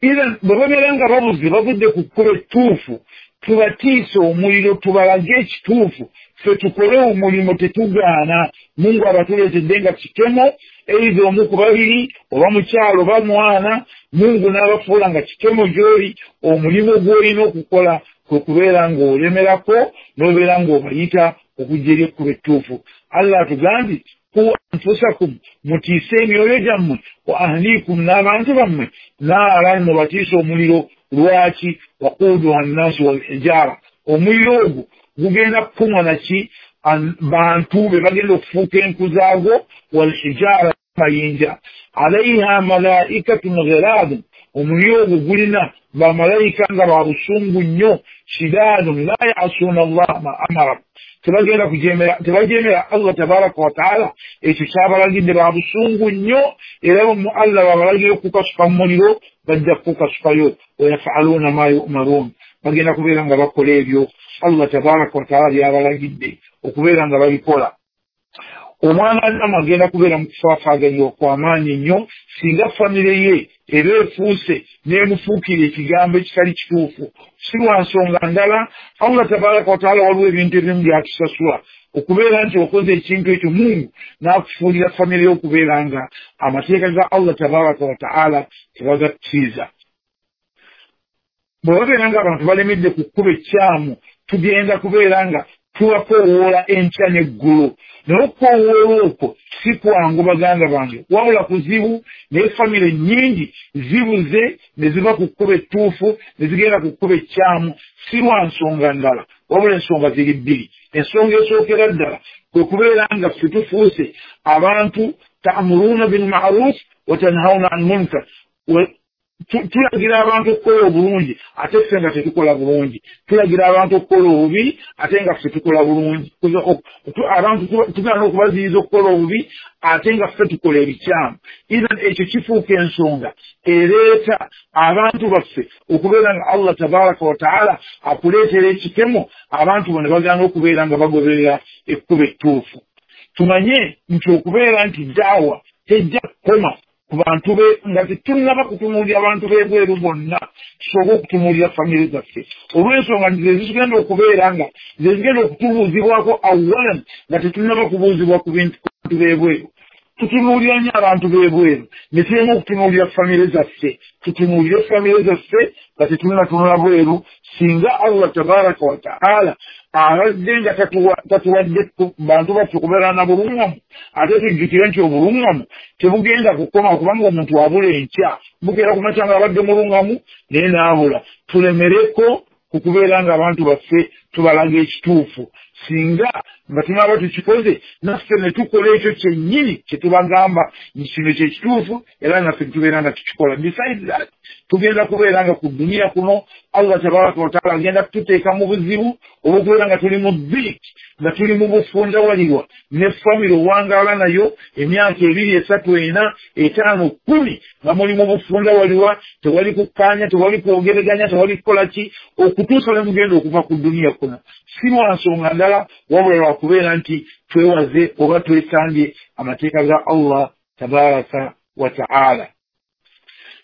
Ithan bwe babeera nga babuze, bavudde ku kkubo ettuufu, tubatiise omuliro, tubalage ekituufu, ffe tukole omulimu tetugaana. Mungu abatuleetedde nga kikemo, eitha omu ku babiri, oba mukyalo oba mwana, Mungu n'abafuula nga kikemo gy'oli. Omulimu gw'olina okukola kwe kubeera ng'olemerako n'obeera ng'obayita okujja eri ekkubo ettuufu. Allah atugambye, qu anfusakum, mutiise emyoyo gyammwe, wa ahlikum, n'abantu bammwe, naara, mubatiise omuliro. Lwaki? Waquuduha nnaasu walhijaara, omuliro ogwo gugenda kukumwa naki? Bantu be bagenda okufuuka enku zaagwo, walhijaara, mayinja. Alaiha malaikatun ghilaadun, omuliro ogwo gulina bamalayika nga ba busungu nnyo, shidaadun la yasuuna allaha ma amara, tebagenda kujeemera, tebajeemera Allah tabaraka wa taala ekyo kyabalagidde. Ba busungu nnyo, era mu Allah babalagira okukasuka mu muliro, bajja kukasukayo. Wayafaluuna ma yumaruun, bagenda kubeera nga bakola ebyo Allah tabaraka wa taala byabalagidde okubeera nga babikola. Omwana Adamu agenda kubeera mu kufaafaaganya okw'amaanyi ennyo singa famire ye eba efuuse n'emufuukira ekigambo ekitali kituufu. Si lwa nsonga ndala, Allah tabaraka wa taala waliwo ebintu ebimu byatusasula okubeera nti okoze ekintu ekyo, Mungu n'akufuulira famire ye okubeera nga amateeka ga Allah tabaraka wa taala tebagakkiriza. Bwe babeera nga abantu balemedde ku kkubo ekkyamu, tugenda kubeera nga tubakoowoola enkya n'eggulo. Naye okukoowoola okwo si kwangu baganda bange, wabula kuzibu. Naye famire nnyingi zibuze ne ziva ku kkubo ettuufu ne zigenda ku kkubo ekkyamu, si lwa nsonga ndala, wabula ensonga ziri bbiri. Ensonga esookera ddala kwe kubeera nga ffe tufuuse abantu ta'muruuna bilma'ruf wa tanhawna an munkar, tulagira abantu okukola obulungi ate ffe nga tetukola bulungi, tulagira abantu okukola obubi ate nga ffe tukola bulungi, abantu tugenda okubaziyiza okukola obubi ate nga ffe tukola ebikyamu. Ithan ekyo kifuuka ensonga ereeta abantu baffe okubeera nga Allah tabaraka wa taala akuleetera ekikemo, abantu bano bagaana okubeera nga bagoberera ekkubo ettuufu. Tumanye nti okubeera nti daawa tejja kukoma ku bantu be, nga tetunnaba kutunuulira abantu b'ebweru bonna, tusooke okutunuulira famire zaffe, olw'ensonga nti ze zigenda okubeera nga ze zigenda okutubuuzibwako awalan nga tetunnaba kubuuzibwa ku bantu b'ebweru. Tutunuulira nnyo abantu b'ebweru ne tulema okutunuulira famire zaffe. Tutunuulire famire zaffe nga tetunnatunula bweru. Singa Allah tabaraka wa taala abadde nga tatuwadde bantu baffe kubeera na bulungamu, ate tujjukire nti obulungamu tebugenda kukoma kubanga omuntu abula enkya, bukeera ku makya nga abadde mulungamu naye n'abula. Tulemereko ku kubeera nga abantu baffe tubalaga ekituufu. Singa nga tunaaba tukikoze naffe ne tukola ekyo kyennyini kye tubagamba nti kino kye kituufu, era naffe tubeera nga tukikola. Besides that, tugenda kubeera nga ku duniya kuno Allah tabaraka wa taala agenda kututeeka mu buzibu olw'okubeera nga tuli mu dhiiki, nga tuli mu bufundawalirwa ne famire owangaala nayo emyaka ebiri, esatu, ena, etaano, kkumi, nga muli mu bufundawalirwa, tewali kukkaanya, tewali kwogereganya, tewali kukola ki, okutuusa lwe mugenda okuva ku duniya kuno. Si lwa nsonga ndala, wabula lwakubeera nti twewaze oba twesambye amateeka ga Allah tabaraka wa taala.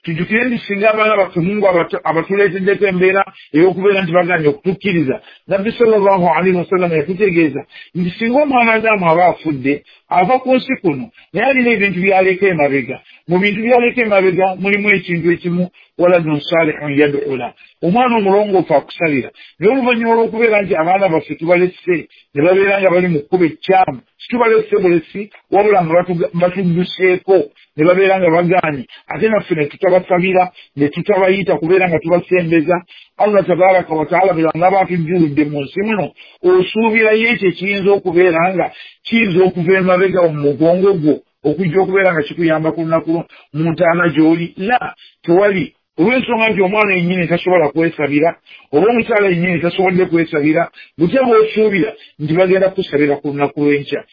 Tujjukire nti singa abaana baffe Mungu abatuleeteddeko embeera ey'okubeera nti baganye okutukkiriza, Nabbi sallallahu alaihi wasallam yatutegeeza nti singa omwana Adamu aba afudde ava ku nsi kuno, naye alina ebintu by'aleka emabega. Mu bintu by'aleka emabega mulimu ekintu ekimu, waladun salihun yad'u la, omwana omulongoofu akusabira. Naye oluvannyuma olw'okubeera nti abaana baffe tubalese ne babeera nga bali mu kkubo ekkyamu, situbalese bulesi wabula nga batudduseeko ne babeera nga bagaanye, ate naffe ne tutabasabira ne tutabayita kubeera nga tubasembeza. Allah tabaraka wa taala bw'anaaba atujjuludde mu nsi muno, osuubirayo ekyo ekiyinza okubeera nga kiyinza okuva emabega mu mugongo gwo okujja okubeera nga kikuyamba ku lunaku mu ntaana gy'oli? La, tewali. Olw'ensonga nti omwana yennyini tasobola kwesabira, oba omukyala yennyini tasobodde kwesabira, butya bw'osuubira nti bagenda kukusabira ku lunaku lw'enkya?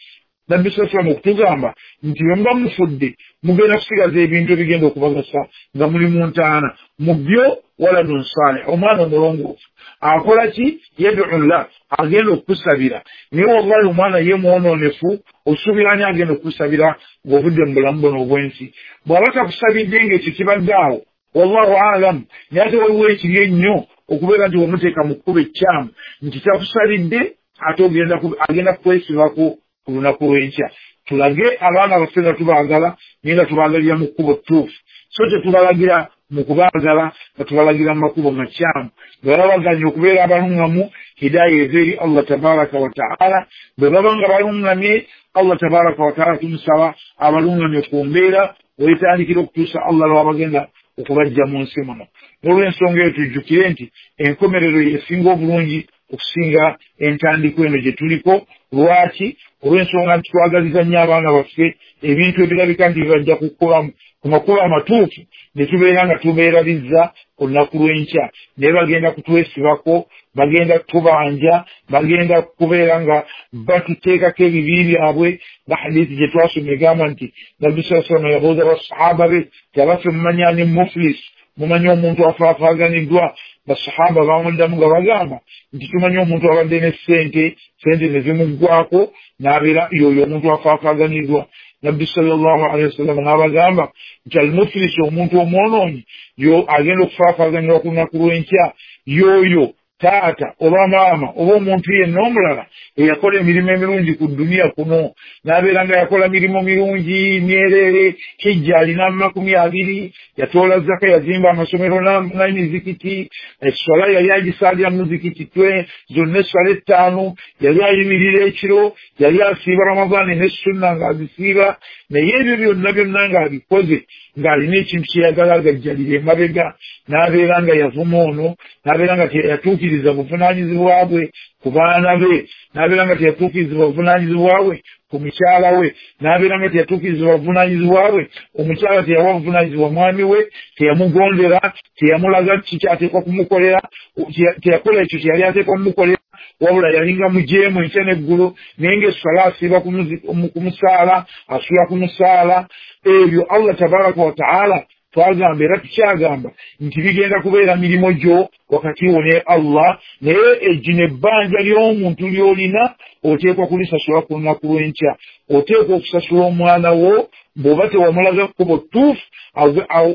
Nabbi sallallahu alaihi wasallam okutugamba nti bwe muba mufudde mugenda kusigaza ebintu ebigenda okubagasa nga muli mu ntaana. Mu byo waladun salih, omwana omulongoofu akola ki? Yad'u llah, agenda okukusabira. Naye wallahi omwana ye mwonoonefu, osuubira ani agenda okukusabira ng'ovudde mu bulamu buno obw'ensi? Bw'aba takusabidde ng'ekyo kibadde awo, wallahu alam. Naye ate waliwo ekibi ennyo okubeera nti wamuteeka mu kkubo ekkyamu nti takusabidde, ate agenda kukwesibako ku lunaku lw'enkya. Tulage abaana baffe nga tubaagala, naye nga tubaagalira mu kkubo ttuufu, so tetubalagira mu kubaagala nga tubalagira mu makubo makyamu. Bwe baba baganye okubeera abaluŋŋamu, hidaaya eva eri Allah tabaraka wa taala. Bwe baba nga baluŋŋamye, Allah tabaraka wa taala tumusaba abaluŋŋamye ku mbeera wetandikira okutuusa Allah lw'abagenda okubajja mu nsi muno. N'olw'ensonga eyo tujjukire nti enkomerero yesinga obulungi okusinga entandikwa eno gye tuliko. Lwaki? Olw'ensonga nti twagaliza nnyo abaana baffe ebintu ebirabika nti bibajja kukola ku makubo amatuufu, ne tubeera nga tubeerabizza olunaku lw'enkya. Naye bagenda kutwesibako, bagenda kutubanja, bagenda kubeera nga batuteekako ebibi byabwe. Nga hadithi gye twasoma egamba nti Nabbi sallallahu alaihi wasallam yabuuza basahaba be nti abaffe mumanyi ani muflis, mumanyi omuntu afaafaaganiddwa? Basahaba bamuddamu nga bagamba nti tumanyi omuntu abadde ne ssente, ssente ne zimuggwako n'abeera yoyo omuntu afaafaaganiddwa. Nabbi sallallahu alaihi wasallam n'abagamba nti almuflis, omuntu omwonoonyi yo agenda okufaafaaganyirwa ku lunaku lw'enkya, yoyo taata oba maama oba omuntu yenna omulala eyakola emirimu emirungi ku dduniya kuno, n'abeera nga yakola mirimu mirungi myereere, hijja alina makumi abiri, yatoola zaka, yazimba amasomero n'emizikiti, esswala yali agisaalira mu muzikiti twe zonna esswala ettaano, yali ayimirira ekiro, yali asiiba Ramadaani ne sunna ng'azisiiba. Naye ebyo byonna byonna ng'abikoze ng'alina ekintu kyeyagala agajjalira emabega, n'abeera nga yavuma ono, n'abeera nga teyatuukiriza buvunaanyizibwa bwe ku baana be, n'abeera nga teyatuukiriza buvunaanyizibwa bwe ku mukyala we, n'abeera nga teyatuukiriza buvunaanyizibwa bwe, omukyala teyawa buvunaanyizibwa mwami we, teyamugondera, teyamulaga ki kyateekwa kumukolera, teyakola ekyo kye yali ateekwa kumukolera, wabula yalinga mujeemu enkya n'eggulo, naye ng'esswala asiiba ku musaala, asula ku musaala. Ebyo Allah tabaraka wa taala twagamba era tukyagamba nti bigenda kubeera mirimu gyo wakati wo ne Allah. Naye egino ebbanja ly'omuntu ly'olina oteekwa kulisasula ku lunaku lw'enkya. Oteekwa okusasula omwana wo bw'oba tewamulaga kkubo ttuufu,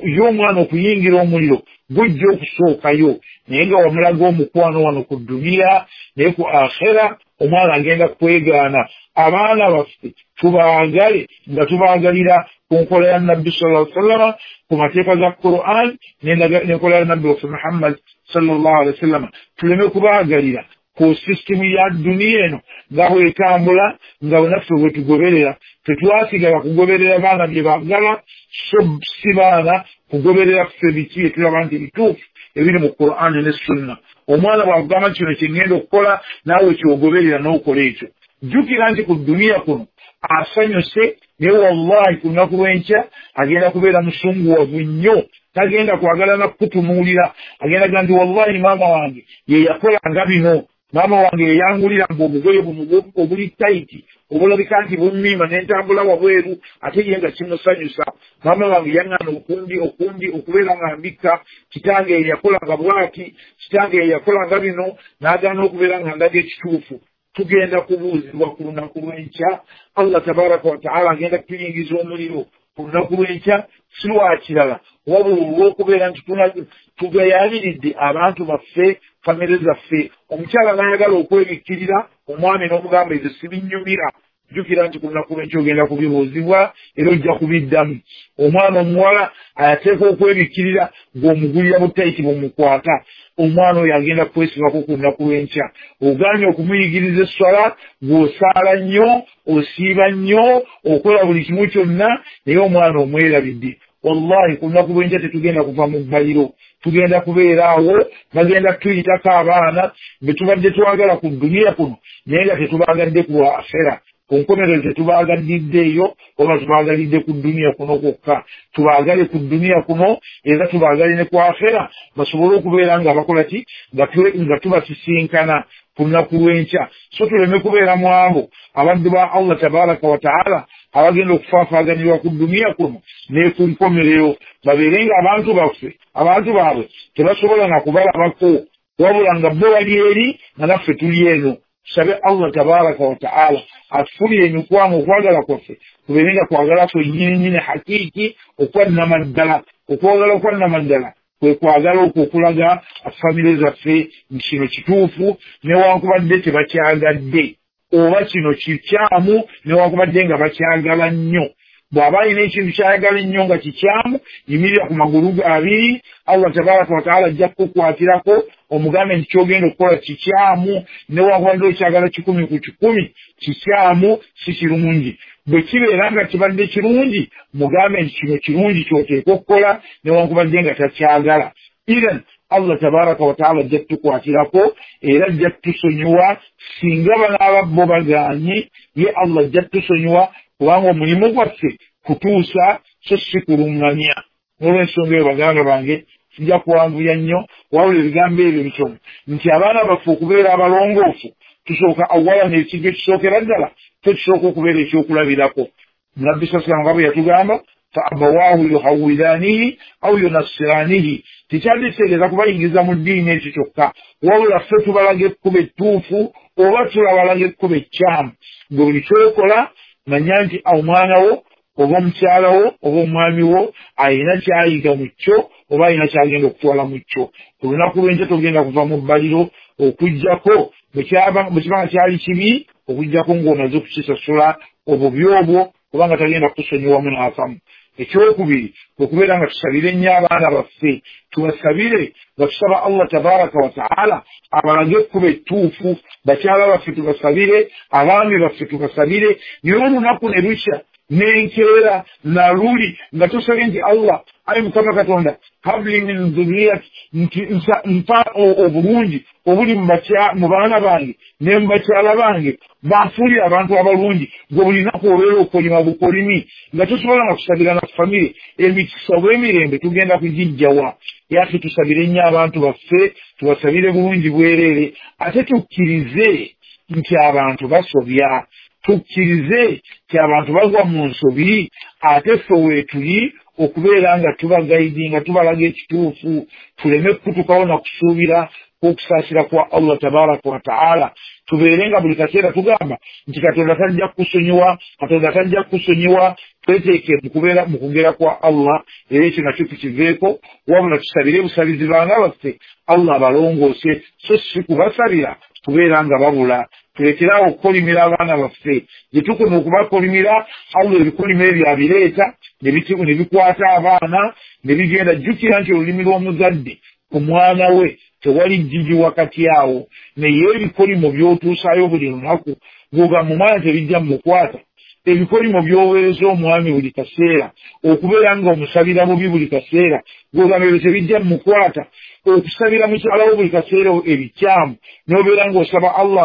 ye omwana okuyingira omuliro gujja okusookayo, naye nga wamulaga omukwano wano ku dduniya, naye ku akhera omwana agenda kwegaana. Abaana baffe tubaagale nga tubaagalira ku nkola ya Nabbi sallallahu alaihi wasallam, ku mateeka ga Qur'an n'enkola ya Nabbi waffe Muhammad sallallahu alaihi wasallam. Tuleme kubaagalira ku sisitimu ya dduniya eno nga bwetambula, nga naffe bwe tugoberera. Tetwasigala kugoberera baana bye baagala, so si baana kugoberera ffe biki bye tulaba nti bituufu ebiri mu Qur'an ne Sunna. Omwana bw'akugamba kino kye ŋŋenda okukola, naawe kyogoberera n'okola ekyo. Jjukira nti ku dduniya kuno asanyuse, naye wallahi ku lunaku lw'enkya agenda kubeera musunguwavu nnyo, tagenda kwagala na kukutunuulira. Agenda gamba nti wallahi maama wange ye yakola nga bino, maama wange yeyangulira ng'obugoye buno obuli tayiti obulabika nti bummima n'entambula wabweru, ate ye nga kimusanyusa. Maama wange yaŋŋaana okundi okundi okubeera nga mbikka, kitange ye yakola nga bw'ati, kitange ye yakola nga bino, n'agaana okubeera nga ndaga ekituufu. Tugenda kubuuzibwa ku lunaku lw'enkya. Allah tabaraka wa taala agenda kutuyingiza omuliro Ku lunaku lw'enkya si lwa kirala, wabula olw'okubeera nti tugayaaliridde abantu baffe, famire zaffe. Omukyala n'ayagala okwebikkirira, omwami n'omugamba ebyo sibinyumira. Jjukira nti ku lunaku lw'enkya ogenda kubibuuzibwa era ojja kubiddamu. Omwana omuwala ateeka okwebikkirira ng'omugulira butayiti bumukwata, omwana oyo agenda kwesibako ku lunaku lw'enkya. Ogaanye okumuyigiriza esswala, gw'osaala nnyo, osiiba nnyo, okola buli kimu kyonna, naye omwana omwerabidde. Wallahi ku lunaku lw'enkya tetugenda kuva mu bbaliro, tugenda kubeera awo, bagenda kutuyitako abaana be tubadde twagala ku dduniya kuno, naye nga tetubaagadde ku akhera. Ku nkomerero tetubaagaliddeeyo, oba tubaagalidde ku dduniya kuno kwokka. Tubaagale ku dduniya kuno era tubaagale ne ku akhera, basobole okubeera nga bakola ki, nga tubasisinkana ku lunaku lw'enkya. So tuleme kubeera mu abo abaddu ba Allah tabaraka wa taala abagenda okufaafaganirwa ku dduniya kuno ne ku nkomerero, babeere nga abantu baffe, abantu baabwe tebasobola na kubalabako, wabula nga bo bali eri nga naffe tuli eno. Tusabe Allah tabaraka wa taala atufulire emikwano, okwagala kwaffe kubeere nga kwagala kwennyininyini hakiiki okwannamaddala. Okwagala okwannamaddala kwe kwagala okwo okulaga famire zaffe nti kino kituufu newankubadde tebakyagadde, oba kino kikyamu newankubadde nga bakyagala nnyo. Bw'aba alina ekintu kyayagala ennyo nga kikyamu, yimirira ku magulu ge abiri, Allah tabaraka wa taala ajja kukukwatirako omugambe nti ky'ogenda okukola kikyamu newankubadde okyagala kikumi ku kikumi, kikyamu, si kirungi. Bwe kibeera nga kibadde kirungi, mugambe nti kino kirungi ky'oteekwa okukola newankubadde nga takyagala. Iran Allah tabaraka wa taala ajja kutukwatirako era ajja kutusonyiwa singa banaaba bo bagaanye, ye Allah ajja kutusonyiwa, kubanga omulimu gwaffe kutuusa so si kuluŋŋamya. N'olw'ensonga eyo baganda bange, sijja kuwanvuya nnyo, wabula ebigambo ebyo bitono nti abaana baffe okubeera abalongoofu tusooka awala n'ekintu ekisookera ddala tekisooka okubeera ekyokulabirako. Nabbi sallallahu alayhi wa sallam yatugamba fa abawaahu yuhawwidaanihi aw yunassiraanihi, tekyanditegeeza kubayingiza mu ddiini ekyo kyokka, wabula ffe tubalaga ekkubo ettuufu oba tulabalaga ekkubo ekkyamu. Gwe buli kyokola manya nti omwana wo oba omukyala wo oba omwami wo alina kyayiga mu kyo oba alina kyagenda okutwala mu kyo. Ku lunaku lw'enkya togenda kuva mu bbaliro okuggyako bwe kiba nga kyali kibi, okuggyako ng'omaze okukisasula obubi obwo, kubanga tagenda kukusonyiwamu n'akamu. Ekyokubiri okubeera nga tusabire nnyo abaana baffe, tubasabire nga tusaba Allah tabaraka wa taala abalage ekkubo ettuufu. Bakyala baffe tubasabire, abaami baffe tubasabire, naye olunaku ne lukya n'enkeera naluli nga tusabye nti Allah ayi Mukama Katonda habli min dhurriyati, nti mpa obulungi obuli mu baana bange ne mu bakyala bange, bafuulire abantu abalungi. Gwe buli lunaku obeera okolima bukolimi nga tosobola nga kusabira na famire, emikisa obw'emirembe tugenda kugijjawa. Yaffe tusabire nnyo abantu baffe, tubasabire bulungi bwereere, ate tukkirize nti abantu basobya, tukkirize nti abantu bagwa mu nsobi, ate ffe weetuli okubeera nga tubagaidinga, tubalaga ekituufu, tuleme kutukawo na kusuubira okusaasira kwa Allah tabaraka wa taala. Tubeere nga buli kaseera tugamba nti Katonda tajja kukusonyiwa, Katonda tajja kukusonyiwa. Tweteeke mu kubeera mu kugera kwa Allah, era ekyo nakyo tukiveeko, wabula tusabire busabizi baana baffe Allah abalongoose, so si kubasabira kubeera nga babula. Tulekeraawo okukolimira abaana baffe. Gye tukoma okubakolimira, Allah ebikolimo ebyo abireeta ne bikwata abaana ne bigenda. Jjukira nti olulimi lw'omuzadde ku mwana we tewali jjiji wakati awo, naye ebikolimo by'otuusaayo buli lunaku gw'ogamba omwana tebijja mumukwata. Ebikolimo by'oweereza omwami buli kaseera, okubeera nga omusabira bubi buli kaseera, gw'ogamba ebyo tebijja mumukwata. Okusabira mukyala wo buli kaseera ebikyamu, n'obeera ng'osaba Allah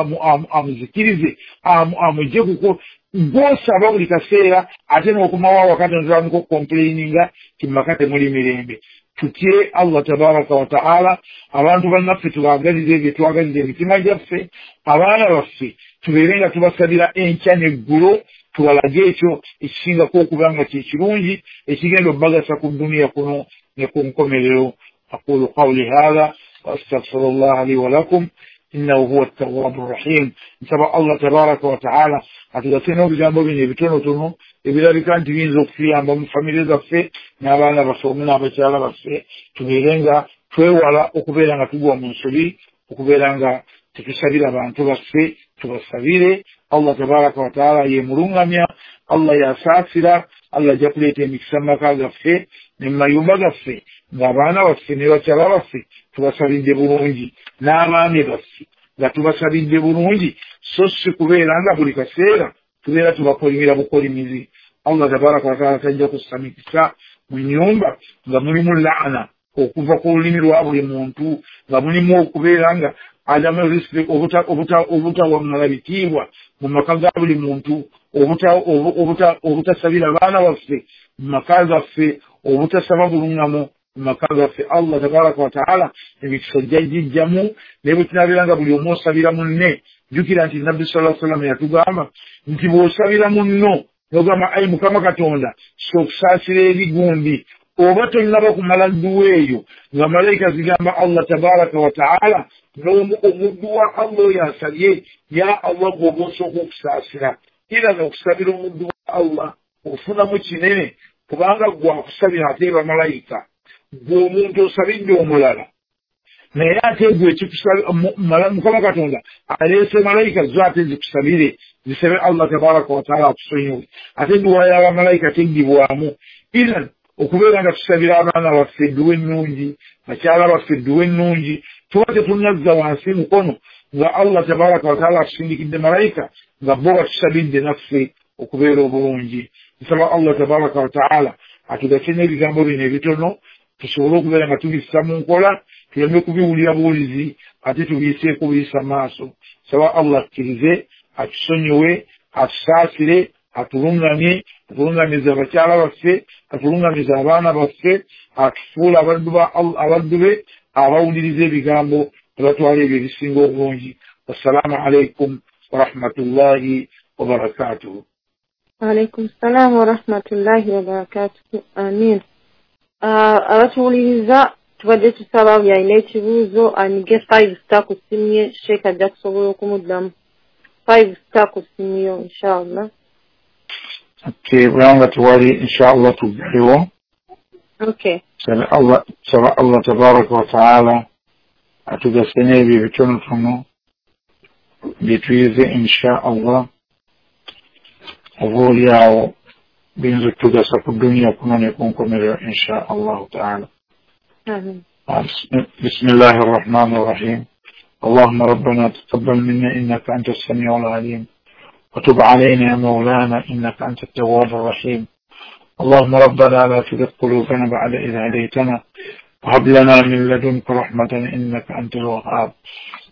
amuzikirize, amugye kuko gw'osaba buli kaseera, ate n'okomawo awaka n'otandika okukomplaininga nti mu maka temuli mirembe. Tutye Allah tabaraka wa taala. Abantu bannaffe tubaagalize ebyo twagaliza emitima gyaffe, abaana baffe tubeere nga tubasabira enkya n'eggulo, tubalage ekyo ekisingako okuba nga kye kirungi ekigenda obbagasa ku dduniya kuno ne ku nkomerero. Aqulu qawli haadha wa astaghfirullaha li wa lakum Innahu huwa tawwabu rahim. Nsaba Allah tabaraka wa taala atugase n'ebigambo bino ebitonotono ebirabika nti biyinza okutuyamba mu famire zaffe n'abaana baffe omu n'abakyala baffe, tubeere nga twewala okubeera nga tugwa mu nsobi, okubeera nga tetusabira bantu baffe. Tubasabire. Allah tabaraka wa taala ye mulungamya, Allah yasaasira, Allah ajja kuleeta emikisa mu maka gaffe ne mu mayumba gaffe, ng'abaana baffe ne bakyala baffe tubasabidde bulungi, n'abaami baffe nga tubasabidde bulungi, so si kubeera nga buli kaseera tubeera tubakolimira bukolimizi. Allah tabaraka wa taala tajja kussa mikisa mu nnyumba nga mulimu laana okuva ku lulimi lwa buli muntu, nga mulimu okubeera nga adamu respect, obutawaŋŋala bitiibwa mu maka ga buli muntu, obutasabira baana baffe mu maka gaffe, obutasaba buluŋŋamu mu maka gaffe. Allah tabaraka wa taala emikisa ojja gijjamu. Naye bwe tunabeera nga buli omu osabira munne, jjukira nti Nabbi sallallahu alaihi wasallam yatugamba nti bw'osabira munno n'ogamba ayi Mukama Katonda so okusaasira ebigumbi, oba tonnaba kumala dduwa eyo nga malayika zigamba Allah tabaraka wa taala n'omuddu wa Allah oyo asabye, ya Allah gw'oba osooka okusaasira. Era n'okusabira omuddu wa Allah ofunamu kinene, kubanga gwe akusabira ate bamalayika, gwe omuntu osabidde omulala, naye ate gwe Mukama Katonda aleese malayika zo ate zikusabire, zisabe Allah tabaraka wa taala akusonyiwe. Ate edduwa y'abamalayika teggibwamu. Iran okubeera nga tusabira abaana baffe edduwa ennungi, bakyala baffe edduwa ennungi, tuba tetunnazza wansi mukono nga Allah tabaraka wa taala atusindikidde malayika nga bo batusabidde naffe okubeera obulungi. Nsaba Allah tabaraka wa taala atugase n'ebigambo bino ebitono tusobole okubeera nga tubissa mu nkola, tuleme kubiwulira buwulizi ate tubiyiseeko buyisa maaso. Nsaba Allah akkirize, atusonyiwe, atusaasire, atulungamye, atulungamize abakyala baffe, atulungamize abaana baffe, atufuule abaddu be abawuliriza ebigambo tebatwala ebyo ebisinga obulungi. Wassalaamu alaikum warahmatullahi wabarakatuhu. Waalaikum salaam warahmatullahi wabarakatuhu. Amin. Abatuwuliriza tubadde tusaba buli alina ekibuuzo anyige five star ku ssimu ye, Sheikh ajja kusobola okumuddamu. Five star ku ssimu yo inshallah. Okay, bwanga tewali inshallah tuggalewo. Okay. Saba Allah, saba Allah tabaraka wa taala atugase n'ebyo ebitonotono bye tuyize inshallah, oba oli awo biyinza okutugasa ku duniya kuno ne ku nkomerero insha allahu taala. Bismillahi rrahmani rrahim. Allahumma rabbana taqabbal minna innaka anta as-sami'u al-alim wa tub alayna ya mawlana innaka anta at-tawwab ar-rahim. Allahumma rabbana la tuzigh qulubana ba'da idh hadaytana wa hab lana min ladunka rahmatan innaka antal wahhab.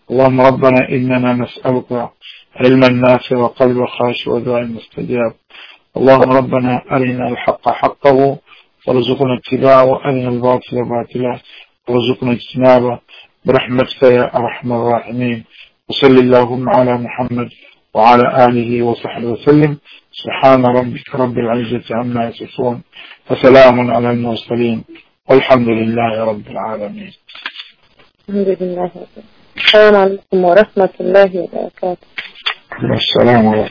Allahumma rabbana innana nas'aluka ilman nafi'an wa qalban khashi'an wa du'aan mustajab. اللهم ربنا أرنا الحق حقه وارزقنا اتباعه، وأرنا الباطل باطلا وارزقنا اجتنابه برحمتك يا أرحم الراحمين. وصل اللهم على محمد وعلى آله وصحبه وسلم. سبحان ربك رب العزة عما يصفون وسلام على المرسلين والحمد لله رب العالمين. الحمد لله. السلام عليكم ورحمة الله وبركاته. السلام عليكم.